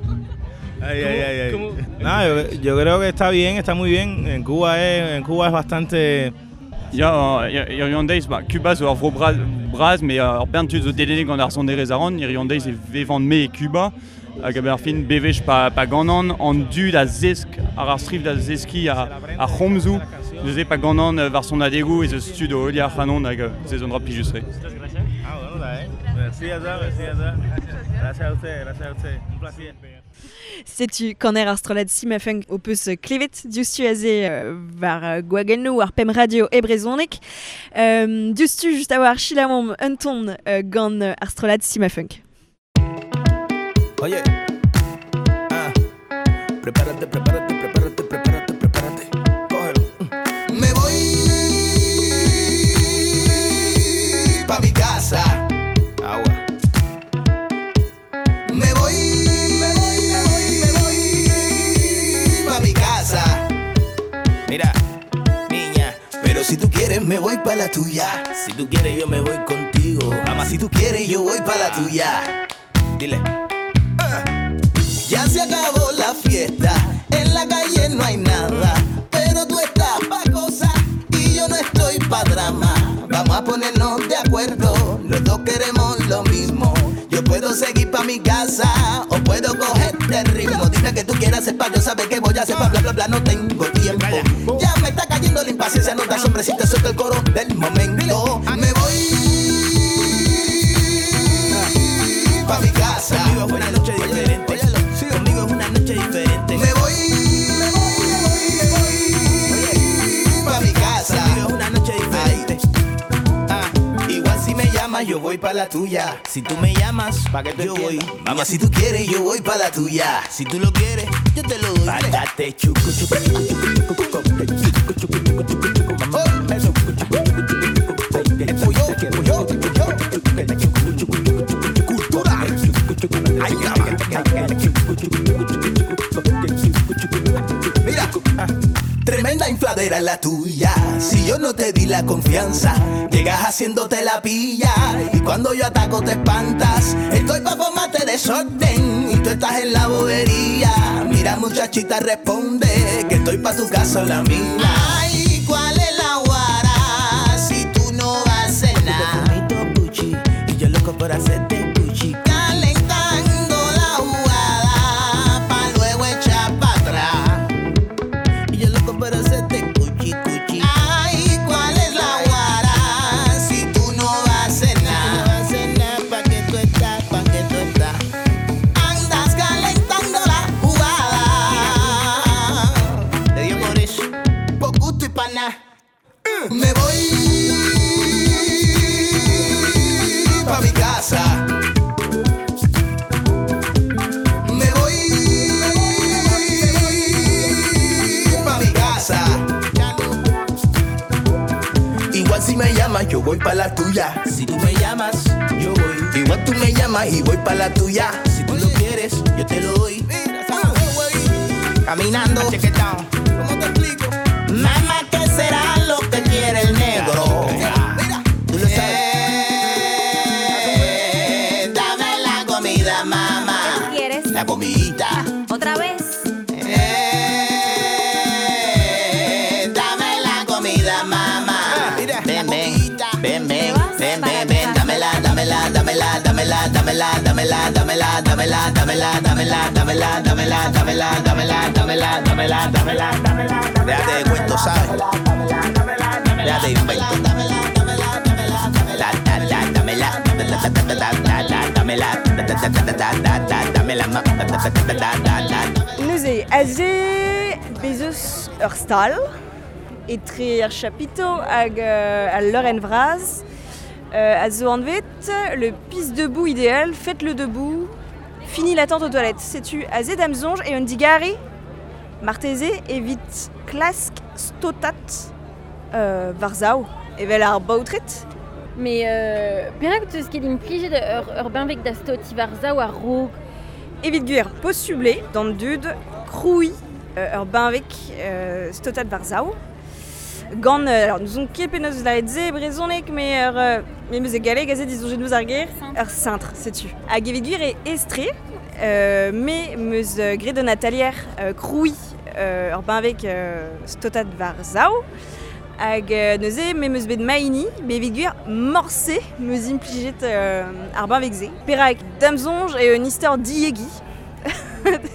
Ay, ay, ay, ay. ¿Cómo? No, yo, yo creo que está bien, está muy bien. En Cuba es, en Cuba es bastante... Ya, hiziv an deiz, ba, Cuba zo ur vro bras, bras, met ur bern tud zo dedennet gant ar sonerezh a ran, hiziv an deiz e vevan me e Cuba, hag a-benn ar fin bevech pa, pa ganan, an dud a zesk, ar ar striv da zeskiñ a, ar c'homzoù, neuze pa ganan euh, war sonadegoù ez eus tud o heuliañ ar c'hanon hag euh, se zo un dra plijus-tre. Ah, bueno, está bien. Merci à toi, merci à toi. Gracias a usted, gracias a usted. Un placer. Setu kaner ar strollad Cimafunk o peus klevet diouzhtu aze euh, war euh, gwagennoù ar pem radio e brezhoneg. Euh, diouzhtu just a war chilamomp un ton euh, gant ar strollad Cimafunk. Oye, ah, prepárate, prepárate, prepárate, prepárate, prepárate. Cógelo. Me voy pa' mi casa. Agua. Me voy, me voy, me voy, me voy pa' mi casa. Mira, niña, Pero si tú quieres me voy pa' la tuya. si tú quieres yo me voy contigo. Mamá, si tú quieres yo voy pa' la tuya. Dile. Ya se acabó la fiesta, en la calle no hay nada, pero tú estás pa' cosa y yo no estoy pa' drama. Vamos a ponernos de acuerdo, los dos queremos lo mismo. Yo puedo seguir pa' mi casa o puedo cogerte el ritmo. Dime que tú quieras hacer pa' yo saber qué voy a hacer pa' bla bla bla, no tengo tiempo. Ya me está cayendo la impaciencia, no te asombres si te suelto el coro del momento. Me voy pa' mi casa. Conmigo es una noche diferente. Conmigo es una noche diferente. Me voy, me voy, me voy, me voy pa' mi casa. Conmigo es una noche diferente. Ah, igual si me llamas, yo voy pa' la tuya. Si tú me llamas, pa' que tú Yo voy. entiendas. Mamá, si tú quieres, yo voy pa' la tuya. Si tú lo quieres, yo te lo doy. Pátate, chucu, chucu, chucu, chucu, chucu, chucu, chucu, chucu, chucu, chucu, mamá. Eso, chucu, chucu, chucu, chucu, chucu, Yo, yo, yo. Cultura. Ay, Mira, tremenda infladera la tuya. Si yo no te di la confianza, llegas haciéndote la pilla. Y cuando yo ataco te espantas. Estoy pa' formarte desorden y tú estás en la bobería. Mira, muchachita, responde que estoy pa' tu casa o la mía. Ay, ¿cuál es la guara? Si tú no vas a cenar. Gucci, y yo loco por hacerte Gucci. Calentando la jugada pa' luego echar pa' atrás. Y yo loco por hacerte cuchi, cuchi. Ay, ¿cuál es la guara? Si tú no vas a cenar. No vas a cenar, pa' que tú estás, pa' que tú estás. Andas calentando la jugada. Te dio por eso. Por gusto y pa' nada. Me voy pa' mi casa. Me voy pa' mi casa. Igual si me llamas, yo voy pa' la tuya. Si tú me llamas, yo voy. Igual tú me llamas y voy pa' la tuya. Si tú lo quieres, yo te lo doy. Caminando. ¿Cómo te explico? Mamá, ¿qué será lo que quiere el negro? Tú lo sabes. Eh, dame la comida, mamá. ¿Qué quieres? La comidita. ¿Otra la vez. Eh, dame la comida, mamá. Ven, ven, ven, ven, ven, ven, ven, dámela, dámela, dámela, dámela, dámela, dámela, dámela, dámela, dámela, dámela, dámela, dámela, dámela, dámela, dámela, dámela, dámela, dámela. Déjate de cuento, ¿sabes? Déjate de invento. Da, da, da, dámela, da, da, da, da, da, da, dámela, da, da, da, da, da, da, da, dámela, ma, da, da, da, da, da, da, da. Neuze, aze bezeus ur stal, etre ar chapito hag euh, al leurenn vras, euh, a zo anvet le pisse debout idéal, faites-le debout, fini l'attente aux toilettes. Setu aze da'm soñj e un digare, marteze evit klask stotat euh, war-sav, evel ar baotred. Mais euh, perak teus ket implijet ur, ur benveg da stoti war-sav ar raok? Evit gwir posubl eo d'an dud krouiñ euh, ur benveg euh, stotat war-sav. Gant, euh, alors nous on ket penaos lâret se e brezhoneg, mais ur, euh, me meus e galleg aze disoñjet meus ar ger, ur cintre, setu. Hag evit gwir e estre, euh, me meus euh, graet un atalier euh, krouiñ euh, ur benveg euh, stotat war-sav. Hag euh, neuze me meus bet maini, me evit gwir morse meus implijet euh, ar benveg se. Perak da'm soñj e un istor diegi,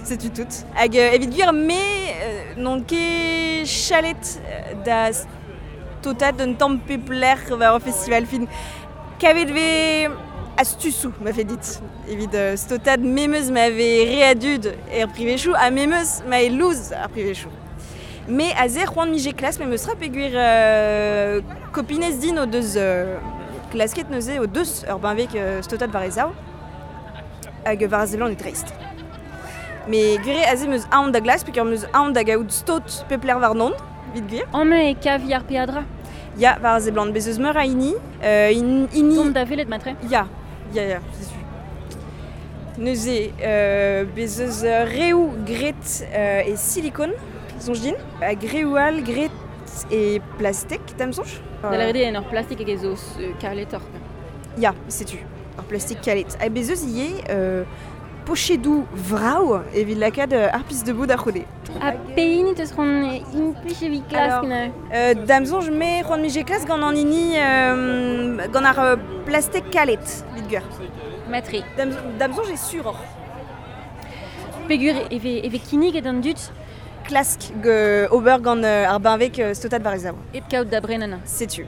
setu tout. Hag euh, evit gwir me euh, n'on ket chalet da stotat d'un tamm pep lec'h war ur festival fin. Kavet vez astusoù ma fait dit. Evit euh, stotat memeus ma vez re a dud er privezioù ha memeus ma e louz ar privezioù. Me aze c'hoant mije klas me meus ra peogwir euh, kopinez din o deus euh, klasket neuze o deus ur benveg euh, stotat war e sav hag war a seblant e dreist. Me gwir eo aze meus aon da glask peogwir meus aon da gaout stot pep lec'h warnon, evit gwir. Amañ e kavi ar peadra? Ya, war a seblant, bez eus meur a hini. Euh, in, hini... Tont da welet matre? Ya, ya, ya, setu. Neuze, euh, bez eus reoù graet euh, e silikon, soñj din, hag reoù all graet e plastek, da'm soñj. Da lâret eo en ur plastik hag ez eus euh, kaletoc'h. Ya, setu, ur plastik kalet. Hag bez eus ivez euh, pochedoù vrav evit lakaat euh, ar pis debout da c'houde. Ha pehini teus c'hoant implij evit klask neuze? Euh, da'm soñj me c'hoant mije klask gant an hini euh, gant ar euh, plastek kalet, evit gwir. Matre. Da'm, da'm soñj eo suroc'h. Peogwir e vez, e vez kinniget an dud klask ge ober gant euh, ar benveg euh, stotat war e sav. Hep kaout da brenan. Setu.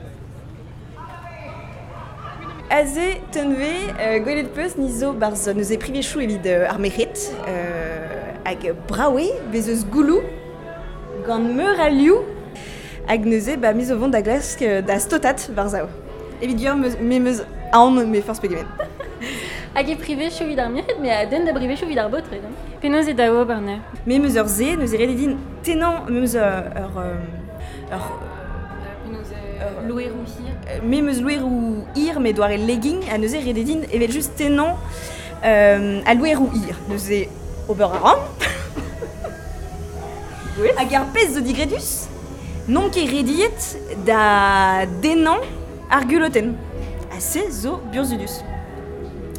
Aze tenve euh, gwelet peus ni zo barzh neuze privezioù evit euh, ar merc'hed euh, hag brav eo bez eus gouloù gant meur a liv hag neuze ba me zo vont da glask euh, da stotat war-sav. Evit gwir meus, me meus aon me forzh pegement. Hag e privezioù evit ar merc'hed, me a den da privezioù evit ar baotred. Hein. Penaos eo da ober neuze? Me meus ur se, neuze ret eo din tennañ meus ur... ur, ur Penaos loeroù hir? Me meus loeroù hir, me doare legging, ha neuze ret eo din evel just tennañ euh, al loeroù hir. Neuze ober a ran. Hag ar pezh zo digredus, n'on ket rediet da dennañ ar gulotenn. Ha se zo burzhudus.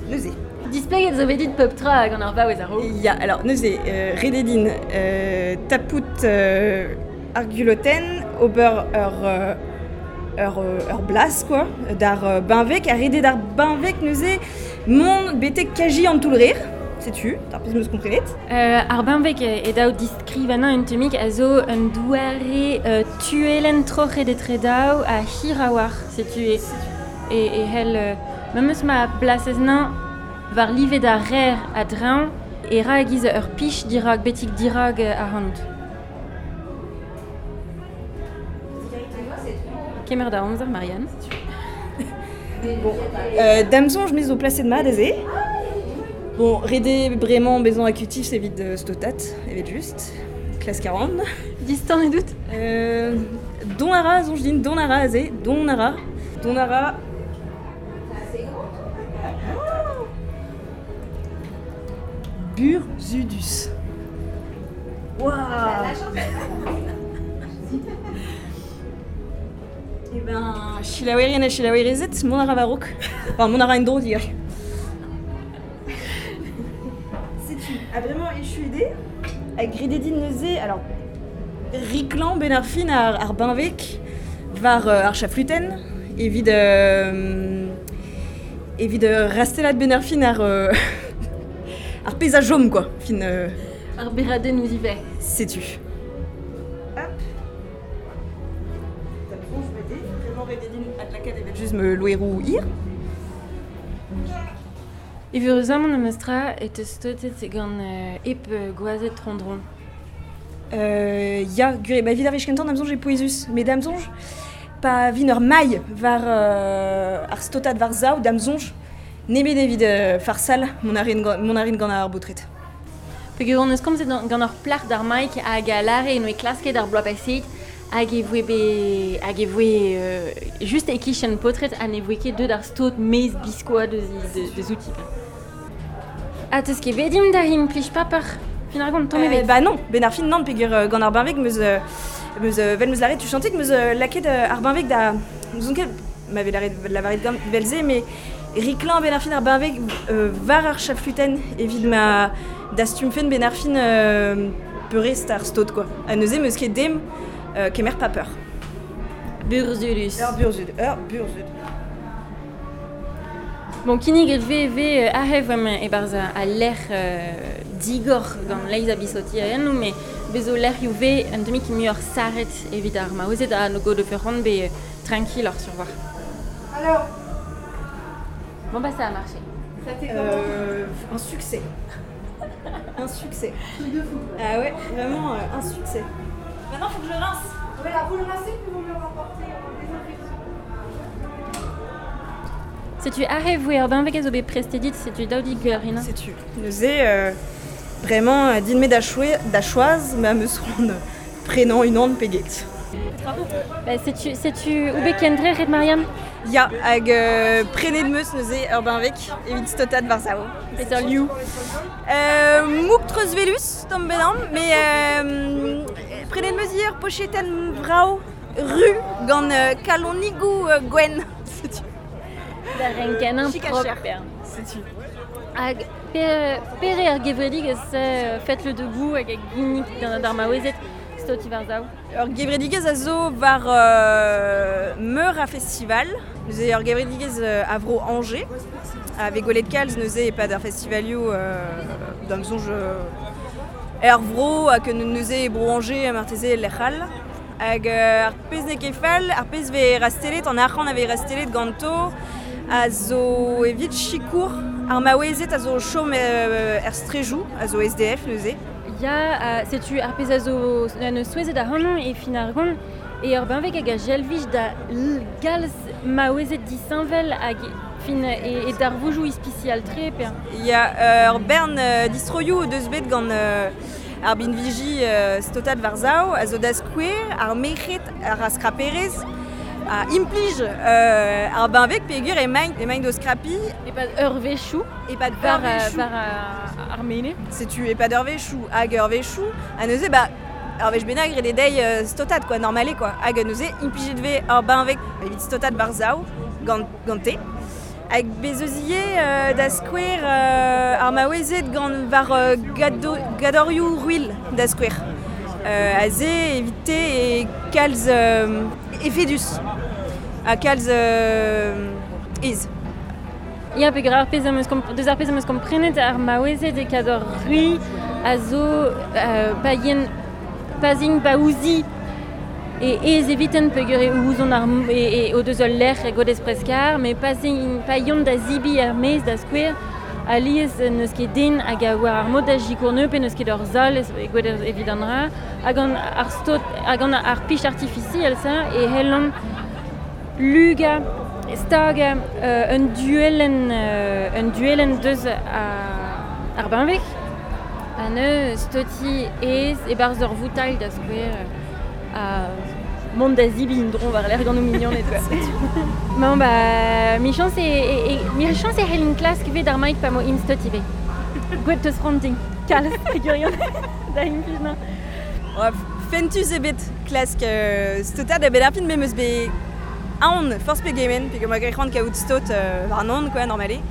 Neuze. Displeget zo bet dit pep tra gant ar vaouez a-raok. Ya, alors neuze, euh, ret eo din euh, tapout euh, ar gulotenn, ober ur, euh, ur, ur blas, quoi, d'ar euh, benveg, ha ret eo d'ar benveg neuze mont betek kaji an toull-rer, setu, d'ar pezh meus komprenet. Euh, ar benveg e daou diskrivanañ un tammig a zo un doare euh, tuelen troc'het etre daou ha hir a-walc'h, setu e, e, e hell euh, memes ma blasez nañ war live da rer a-dreñv e ra a-giz ur pich dirak, betik dirak ac'hanout. Kemer da amzer, Marianne. Bon, euh, da'm soñj me zo plaset mat aze. Bon, ret eo bremañ bezañ akutif evit euh, stotat, evit just. Klask a ran. Distan e dout? Euh, don a ra, soñj din, don a ra aze, don a ra. Don a ra. Burzhudus. Waouh. Eh ben, selaouerien ha selaouerezed, mont a ra war-raok. Enfin, mont a ra en-dro digar. Setu, ha bremañ echu eo. Hag rededin neuze, alors, riklan ben ar fin ar, ar benveg war euh, ar chafluten, evit, euh, evit euh, rastelat ben ar fin ar, euh, ar pez a jom, quoi, fin... Euh, Ar beraden ouz ive. Setu. Hop. Vraiment rededin adlakaat evel just me loerou ir. Evuruzamant am eus tra e teus stotet gant euh, ep euh, gwazet trondron. Euh, ya, gure, ba evit ar wech kentan da'm soñj e pouezus. Met da'm soñj, pa vin ur mailh war euh, ar stotat war zaou da'm soñj, nemet evit euh, farsal mon a rin gant, mon a rin gant ar baotred. Peogwir hon eus komzet gant ur plac'h d'ar maik hag a lare en oe klasket ar bloaz paseet hag e voe be, hag e voe euh, just e kichen paotred ha ne voe ket deut ar stot mez biskoa deus, deus, deus outi. Ha teus ket bet dimp da implij paper fin ar gont, tamm Euh, ebet. ba non, ben ar fin nann peogwir euh, gant ar benveg meus, euh, meus euh, vel meus laret tu chantik meus euh, laket euh, ar benveg da n'ouzon ket m'avait laret lavaret gant velze mais riklan ben ar fin ar benveg euh, war ar chafluten evit ma dastumfen ben ar fin euh, peurest ar stot quoi. Ha neuze meus ket dem euh, kemer paper. Burzhudus. Ur burzhud, ur burzhud. Bon, kinnig et ve ve ahev am e-barzh a lec'h euh, digor gant leiz a bisoti a ennou, mais bezo lec'h ioù ve un demi ki muioc'h saret evit ar maozet a no go de ferrand be tranquille ar survoir. Alors. Bon bah ça a marché. Ça euh, un succès. Un succès. Truc de fou. Ah ouais, vraiment euh, un succès. Maintenant, faut que je rince. Voilà, vous le rincez puis vous me le rapportez en désinfection. Setu ahev voe ur benveg a zo bet prestedit, setu daou dit gwelloc'h Setu. Neuze, euh, vraiment, euh, din me da choe, da choaz, ma meus c'hoant prenañ unan peget. Ba, setu, setu ou bet kendre ret Mariam? Ya, hag euh, prenet meus neuze ur benveg evit stotat war zao. Peseurt liv? Euh, mouk treuzvelus, tamm benam, mais euh, prenet meus hier pochetenn vrao ru gant euh, kalonigou euh, gwenn. Setu. Da renken Chic à propre. cher. Setu. Hag pere, pere ar gevredigezh euh, fet le debout hag a ginnig d'an d'ar maouezet stoti war zao. Ur gevredigezh a zo war euh, meur a festival. Neuze ur gevredigezh euh, a vro Angers. A vez gwelet kalz neuze e-pad ar festivalioù euh, da'm soñj euh, er vro hag neuze e bro Angers ha marteze lec'h all. Hag euh, ar pezh n'eo ket fall, ar pezh vez rastelet, an arc'hant a vez rastelet ganto, a zo evit sikour ar maouezet a zo chom euh, er strejou, a zo S D F neuze. Ya, uh, setu ar pezh a zo an eus souezhet ac'hanon e fin ar gont, e ur benveg hag a jelvij da l- galz maouezet disheñvel hag fin e, e darvoujoù ispisial tre pe. Ya, euh, ur bern euh, distroioù o deus bet gant euh, ar binviji euh, stotat war zao, a zo da skouer, ar merc'hed, ar a skraperez, a implij euh, ar benveg peogwir emaint, emaint o skrapi. E-pad ur wechoù. E-pad War, ur wechoù. war euh, ar mene. Setu e-pad ur wechoù hag ur wechoù, ha neuze ba ur wech bennak ret eo dezhi euh, stotat quoi, normale quoi. Hag neuze implijet vez ur benveg evit stotat war zao gant, gante. Hag bez eus ivez euh, da skouer euh, ar maouezed gant war euh, gado, gadorioù ruilh da skouer. Euh, aze evite e kalz euh, efedus. Ha kalz euh, ez. Ya, peogwir ar pezh am eus komp- deus ar pezh am eus komprenet ar maouezed e kador ruilh a zo euh, pa yen pa zin pa ouzi e ez eviten peogwir e ouzon ar m- e, e o deus ul lec'h e godez preskar, mais pa zin pa yont da zibi er maez da skouer, alies n'eus ket den hag a war ar mod da jikourneu pe n'eus ket ur zal ez- e gwed evit an dra, hag an ar stot, hag an ar pich artificiel ça, e hellont luga stag euh, un duellen euh, un duellen deus a, ar benveg. Ha neu stoti ez e-barzh ur voutailh da skouer a mont da zibi un dron war l'air gant o mignoned quoi. Bon ba mi chance e, e, e mi chance e c'hellin klask ivez d'ar maik pa mo int stot ivez. Gwet teus c'hoant kalz gwirion da implij na. Ouais, fentus ebet klask euh, stotad a bet ar fin me meus bet aon forzh pegement, peogwir ma c'hoant kaout stot euh, war an quoi, normale.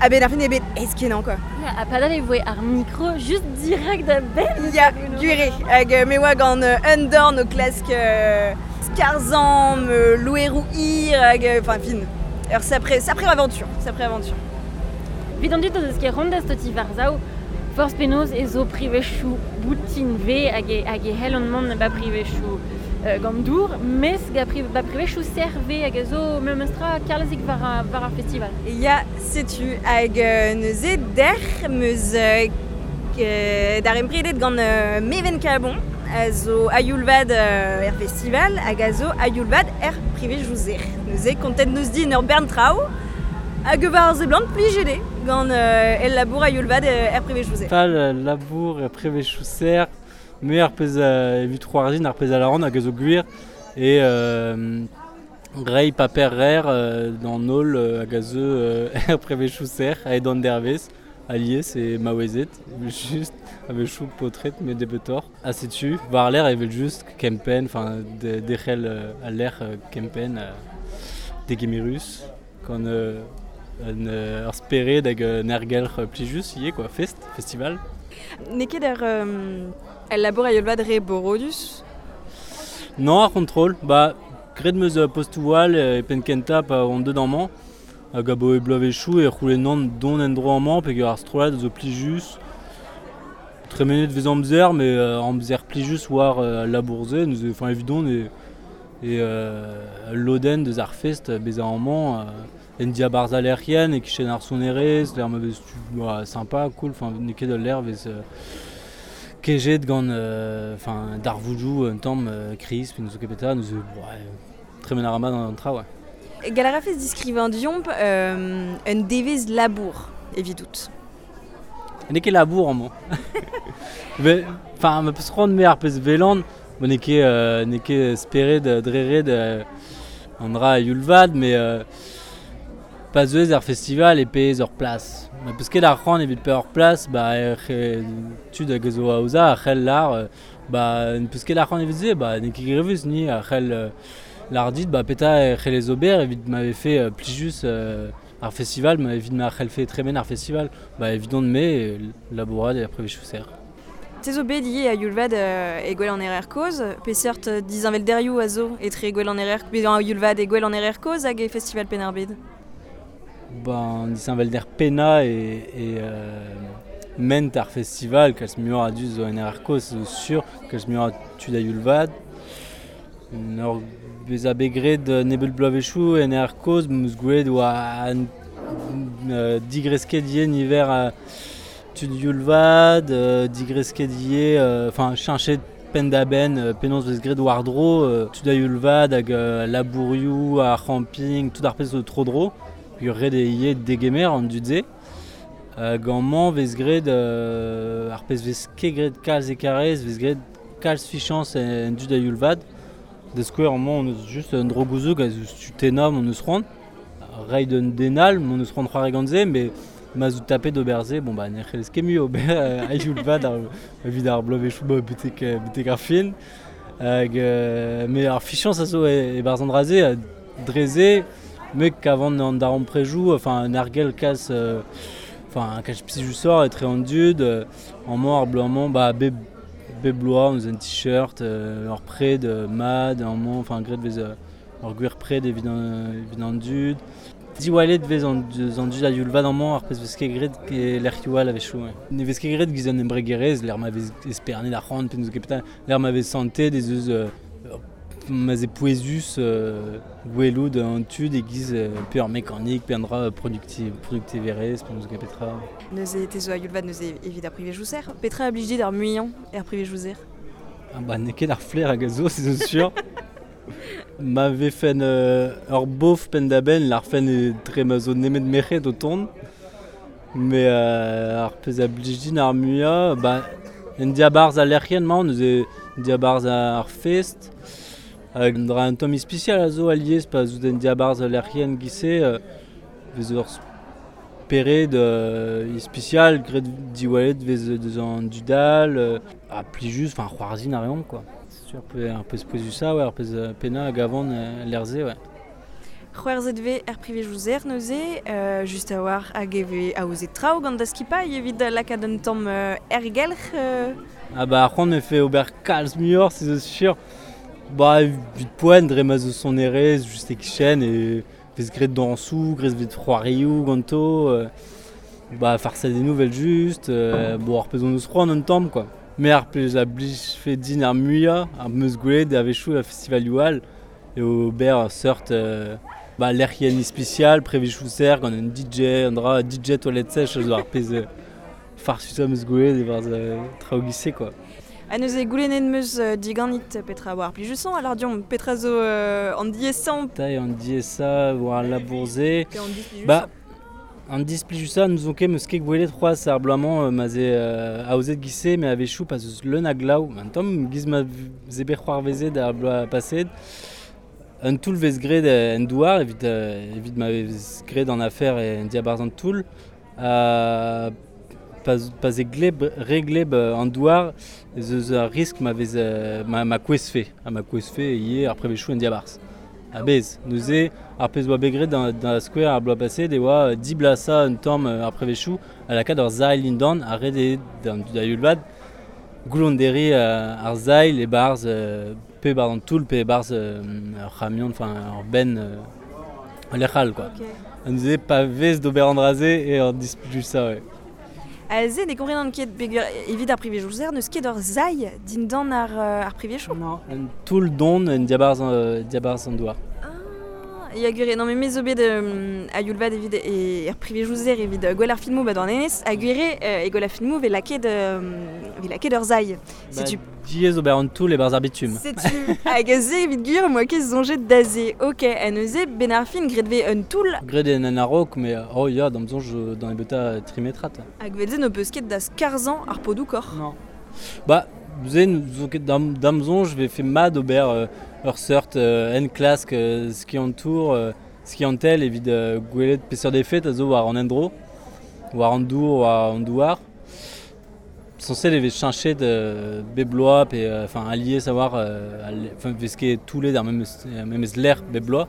A ben ar fin eo bet aes-kenañ quoi. Ya, ha padal e voe ar mikro just dirak da benn. Ya, gwir eo, hag euh, me oa gant euh, un dorn o klask euh, skarzhañ, euh, loeroù hir, hag, enfin, fin, ur sapre, sapre aventure, sapre aventure. Evit an dud o deus ket c'hoant da staotiñ war-sav, forzh penaos ez zo privezioù boutin ve hag e, hag e c'hellont mont ba privezioù euh, gant dour, mes ga pri, ba privezioù serr ve hag a zo memestra kalzik war, a, war ar festival. Ya, setu hag euh, neuze dec'h meus euh, euh, darempredet gant euh, Meven Cabon a zo a-youl-vat euh, er festival hag a zo a-youl-vat er privezioù serr. Neuze kontet neus din ur bern traoù hag war ar seblant plijet eo gant euh, el labour a-youl-vat er privezioù serr. Pal labour er privezioù serr, me ar pezh a evit c'hoarzhin ar pezh a lâran hag a zo gwir e euh, reiñ paper rer euh, d'an holl euh, hag a zeu euh, er privezioù serr aet an dervez alies e maouezed, just a-wechoù paotred met nebeutoc'h. Ha setu, war l'air evel just kempenn, enfin de, derc'hel euh, al lec'h euh, kempenn euh, degemerus gant euh, un euh, ur spered hag un aergelc'h plijus ivez quoi, fest, festival. N'eo ket ar euh, el labour a-youl-vat re borodus? Non, ar c'hontrol, ba graet 'm eus postoù all e penn kentañ pa on deuet amañ, hag abaoe bloavezhioù e c'houlennan dont en-dro amañ peogwir ar strollad zo plijus. Tremenet vez amzer, met euh, amzer plijus war euh, al labour-se, neuze, enfin evidon e, e euh, lodenn deus ar fest bezañ amañ euh, en diabarzh al lec'hienn e kichen ar sonerezh, lec'h ma vez tu bah, sympa, cool, enfin n'eo ket ul lec'h vez euh, kejet gant euh, enfin darvoudoù un tamm euh, kriz pe n'eus ket petra, neuze ouais, tremen a ra mat an tra, ouais. Gall a rafes diskrivañ deomp euh, un devezh labour evidout. N'eo ket labour amañ. Ve, enfin, ma peus c'hoant me ar pezh velan, bon, n'eo ket, euh, n'eo ket spered dre ret euh, an dra a-youl-vat, met euh, pa zeuez ar festival e paeez ur plas. Ma peus ket ar c'hoant evit paeañ ur plas, ba ec'h tud hag a zo aozañ a c'hell lâr, euh, ba ne peus ket ar c'hoant evit se, ba n'eo ket grevus ni a c'hell euh, lâr dit, ba petra e c'hellez ober evit ma vefe euh, plijus euh, ar festival, ma evit ma c'hellfe tremen ar festival, ba evidon me labourat er privezioù serr. Te zo bet ivez a-youl-vat euh, e Gouel an Erer Kozh, peseurt disheñvelderioù a zo etre Gouel an Erer, bezañ a-youl-vat e Gouel an Erer Kozh hag e Festival Penn-ar-Bed? Ben, disheñvelder pennañ e, e euh, ment ar festival, kalz muioc'h a dud zo en Erer Kozh, zo sur, kalz muioc'h a tud a-youl-vat. Ur bezañ bet graet nebeut bloavezhioù en Erer Kozh, 'm eus gwelet oa an euh, digresket ivez niver a tud youl-vat, euh, digresket ivez, enfin euh, cheñchet penn-da-benn euh, penaos vez graet war-dro, euh, tud a-youl-vat hag euh, labourioù, ar c'hamping, tout ar pezh zo tro-dro, peogwir ret eo ivez degemer an dud-se. Hag amañ vez graet euh, ar pezh vez ket graet kalz e Karaez, vez graet kalz fichañs en dud a-youl-vat. Da skouer amañ on eus just un dro gouzoug a zo tu tennañ m'hon eus c'hoant. Reiñ d'un den all m'hon eus c'hoant c'hoari gant se, met ma zo tapet d'ober se, bon bah ne c'hellez ket mui ober euh, a-youl-vat ar, evit ar bloavezhioù ba betek, betek ar fin. Hag euh, met ar fichañs a zo e, e-barzh an dra-se, ha dre se, me kavan an darempredoù, enfin un argel kalz, euh, enfin kalz plijusoc'h etre an dud, euh, amañ ar bloaz-mañ, ba bep, bep bloaz on eus un t-shirt, euh, ur pred euh, mat, amañ, enfin graet vez euh, ur gwir pred evit an, evit an dud. Diwallet vez an, an dud a-youl-vat amañ ar pezh vez ket graet e lec'hioù all a-wechoù. Ouais. Ne vez ket graet giz an embregerezh, lec'h ma vez espernet ar c'hoant pe n'eus ket petra, lec'h ma vez santet ez eus euh, ma 'z eo pouezus euh, gwelout an tud e-giz euh, pe ur mekanik, pe an dra produkti, produktiverezh, pe n'eus ket petra. Neuze te zo a-youl-vat neuze evit ar privezioù serr. Petra a blij dit ar muiañ er privezioù serr? Ah bah n'eo ket ar flaer hag a zo, se zo sur. Ma vefen euh, ur bof penn-da-benn, larfen e dre ma zo nemet merc'hed o tont. Mais euh, ar pezh a blij din ar muiañ, ba, en diabarzh al lec'hienn-mañ, neuze diabarzh ar fest. Hag un dra un tamm ispisial a zo alies pa zo en diabarzh al lec'hienn giz-se, euh, vez ur spered euh, ispisial, graet diwallet vez deus an dud all, euh, ha plijus, enfin c'hoarzhin a reomp quoi. C'est sûr, pe, ar pezh pouezusañ, ouais, ar pezh pennañ hag avant euh, lec'h-se, ouais. C'hwerzet ve er privezioù neuze, euh, just a war hag e ve aozet traoù gant da skipailh evit lakaat un tamm euh, ergelc'h. Euh... Ah bah ar c'hoant me fait ober kalz muioc'h, c'est zo sur. Bah evit poent dre ma zo sonerezh, just e kichen e vez graet dañsoù, graet vez c'hoarioù ganto, euh, bah farsadennoù vel just, euh, bon ar pezh hon eus c'hoant un tamm quoi. Me ar pezh a blij fe din ar muiañ, ar meus gwelet a-wechoù a festivalioù all, e ober ur seurt euh, bah, lec'hienn ispisial, prevezioù-serr gant un D J, un dra D J toilette sèche, zo ar pezh euh, farsus am eus gwelet e-barzh euh, traoù gise quoi. Ha neuze goulennet meus euh, diganit petra war plijusañ, alors diomp petra zo euh, an diesañ. Taille an diesañ war al labour-se. Pe an displijusañ. Bah, an displijusañ n'ouzon ket meus ket gwelet c'hoazh ar bloaz-mañ euh, ma ze euh, aozet gise, me a-wechoù pa zeus leun a glav. Un tamm giz ma ze bet c'hoarvezet ar bloaz paset. Un toull vez graet en douar, evit, euh, evit ma vez graet an afer en diabarzh an toull. Euh, pa, pa ze gleb, re gleb an douar, ez eus ar risk ma vez, euh, ma, ma kouezfe. Ha ma kouezfe ivez ar prevezioù en diabarzh. A bez, neuze, ar pezh oa bet graet da, da skouer ar bloaz paset e oa diblasañ un tamm ar prevezioù a lakaat ur sailh dindan a ret eo d'an da youl-vat goulonderiñ euh, ar sailh e-barzh, euh, pe barzh an toull, pe barzh, euh, ur c'hamion, enfin ur benn, euh, lec'h all, quoi. Ok. On disait pa vez d'ober an dra-se e ur displijusañ, ouais. Aze ne komprenan ket peogwir evit ar privezioù-serr n'eus ket ur sailh dindan ar, euh, ar privezioù. Non, un toull don en diabarzh, euh, diabarzh an douar. Ah, ya gwir, non mais me zo bet euh, a youl vat evit e, er privezioù-serr evit, euh, gwell ar filmoù bat an enez, a gwir euh, e gwell ar filmoù ve lakaet, euh, ve lakaet ur sailh. Bah, Setu diaes ober an toull e-barzh ar bitume. Setu hag aze evit gwir moa ket soñjet d'aze. Ok, ha neuze ben ar fin graet vez un toull. Graet en en a-raok, mais oh ya, d'am soñj dans nebeuta trimetrat. Hag vel-se n'ho peus ket da skarzhañ ar podoù kor. Non. Bah, ze n'zo ket d'am, d'am soñj vez fait mat ober, euh, ur seurt, euh, en klask, euh, ski an tour, euh, ski an tel evit, euh, gwelet peseurt efed a zo war an endro, war an dour, war an douar. Censé les cheñchet de bebloa pe, euh, enfin allié savoir, euh, al-, enfin vez ket toulet d'ar memes, euh, memes l'air bebloa.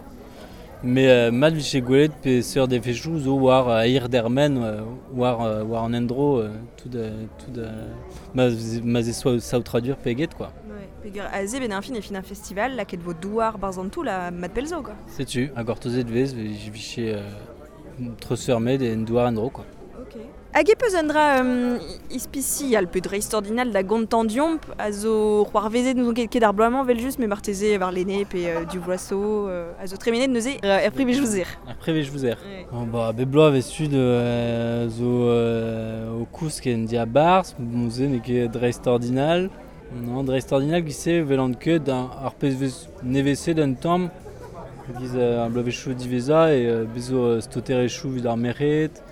Mais, euh, mat vije gwelet pe seurt efechoù zo war, euh, air dermen, euh, war, euh, war an endro, euh, tout, euh, tout, euh, ma, ma ze soa saotradur pe get, quoi. Ouais, peogwir aze ben ar fin e fin ar festival, lakaet vo douar barzh an toull ha mat pell zo, quoi. Setu, ha gortozet vez, vije, euh, treuzfeurmet en douar endro, quoi. Ok. Hag e peus un dra, euh, ispisial pe dreistordinal da gontañ diomp a zo c'hoarvezet n'ouzon ket ket ar bloaz-mañ vel just, me marteze war lene pe, euh, du bloaso, euh, a zo tremenet neuze, euh, er privezioù-serr. Er privezioù-serr. Ouais. Oh, bah, bep bloaz vez tud, euh, zo, euh, o kousk en diabarzh, bon, se n'eo ket dreistordinal. Non, dreistordinal giz-se vel an ket un, ar pezh vez nevez-se d'un tamm, giz, euh, ar bloavezhioù diwezhañ e, euh, bez zo, euh, stoterezhioù evit ar merc'hed.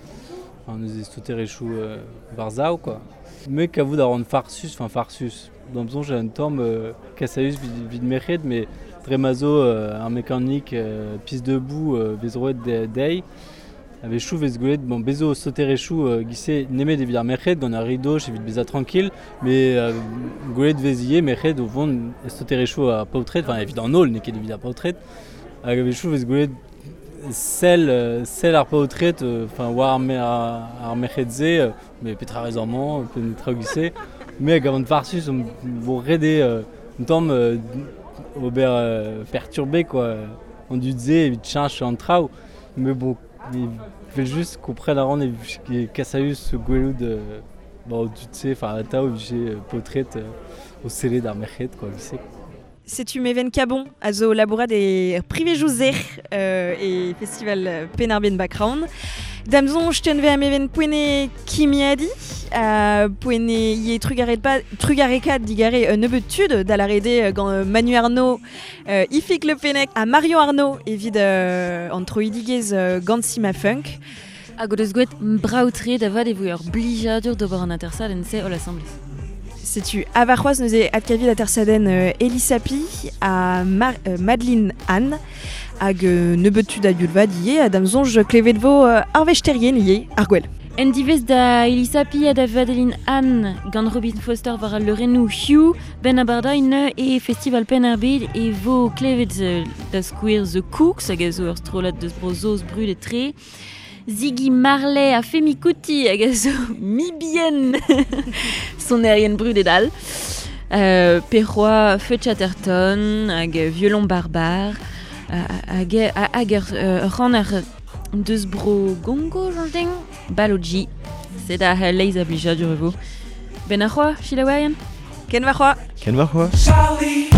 Enfin, neuze stoterezhioù, euh, war-sav, quoi. Me kavout a ran farsus, enfin farsus. D'am soñj un tamm, euh, kasaüs vid, vid merc'hed, mais dre ma zo, euh, ar mekanik, euh, pis debout, euh, vez roet de, dezhi. A-wechoù vez gwelet, bon, bez zo stoterezhioù, euh, giz-se nemet evit ar merc'hed, gant ar ridoch evit bezañ tranquille, mais, euh, gwelet vez ivez merc'hed o vont stoterezhioù ar paotred, enfin evit an holl, n'eo ket evit ar paotred. Hag a-wechoù vez gwelet sell, euh, sell ar paotred, euh, enfin, war ar me-, ar, ar merc'hed-se, euh, mais petra rez amañ, pe netra giz-se. Mais hag avant farsus, on vo rede, euh, un tamm, euh, ober, euh, perturbé, quoi. On dud-se evit cheñch an traoù. Mais bon, il fait juste qu'on prenne ar ran e e kasaüs gwelout, euh, bon, dud-se, enfin, atav evit, euh, paotred, euh, o sellet d'ar merc'hed, quoi, giz-se. Setu Meven Cabon a zo labourat e privezioù-serr, euh, e festival Penn-ar-Bed Background. D'am soñj tenve a Meven poene kimiadi, a poene ie trugaret pa, trugareka digare un nebeud tud da l'arede gant, euh, Manu Arnaud, euh, Ifig Le Pennec ha Marion Arnaud evit, euh, an troidigezh, euh, gant Sima Funk. Hag o deus gwelet brav-tre da vat e voe ur blijadur d'ober an atersadenn se holl asambles. Setu avarc'hoazh neuze adkavet atersadenn, euh, Elisapi ha Mar-, euh, Madeleine Anne hag, euh, nebeud tud a youl vat ivez, ha d'am soñj klevet vo, euh, ar vesterien ivez, ar gwell. En divez da Elisa Pi ha da Vadeline Anne gant Robin Foster war al leurennoù Hugh ben abardain e festival Penn ar Bed e vo klevet da skouer The Cooks hag a zo ur strollad deus bro-Saoz brudet tre. Ziggy Marley a Femi Kuti hag a zo mibien sonerien brudet all. Euh, Perrois, Feu Chatterton hag Violon Barbare hag hag ur ran ar deus bro Gongo, j'en Baloji. C'est da leiz a blija du revo. Ben ar c'hoa, Sheila Ken va c'hoa. Ken va c'hoa. Sally.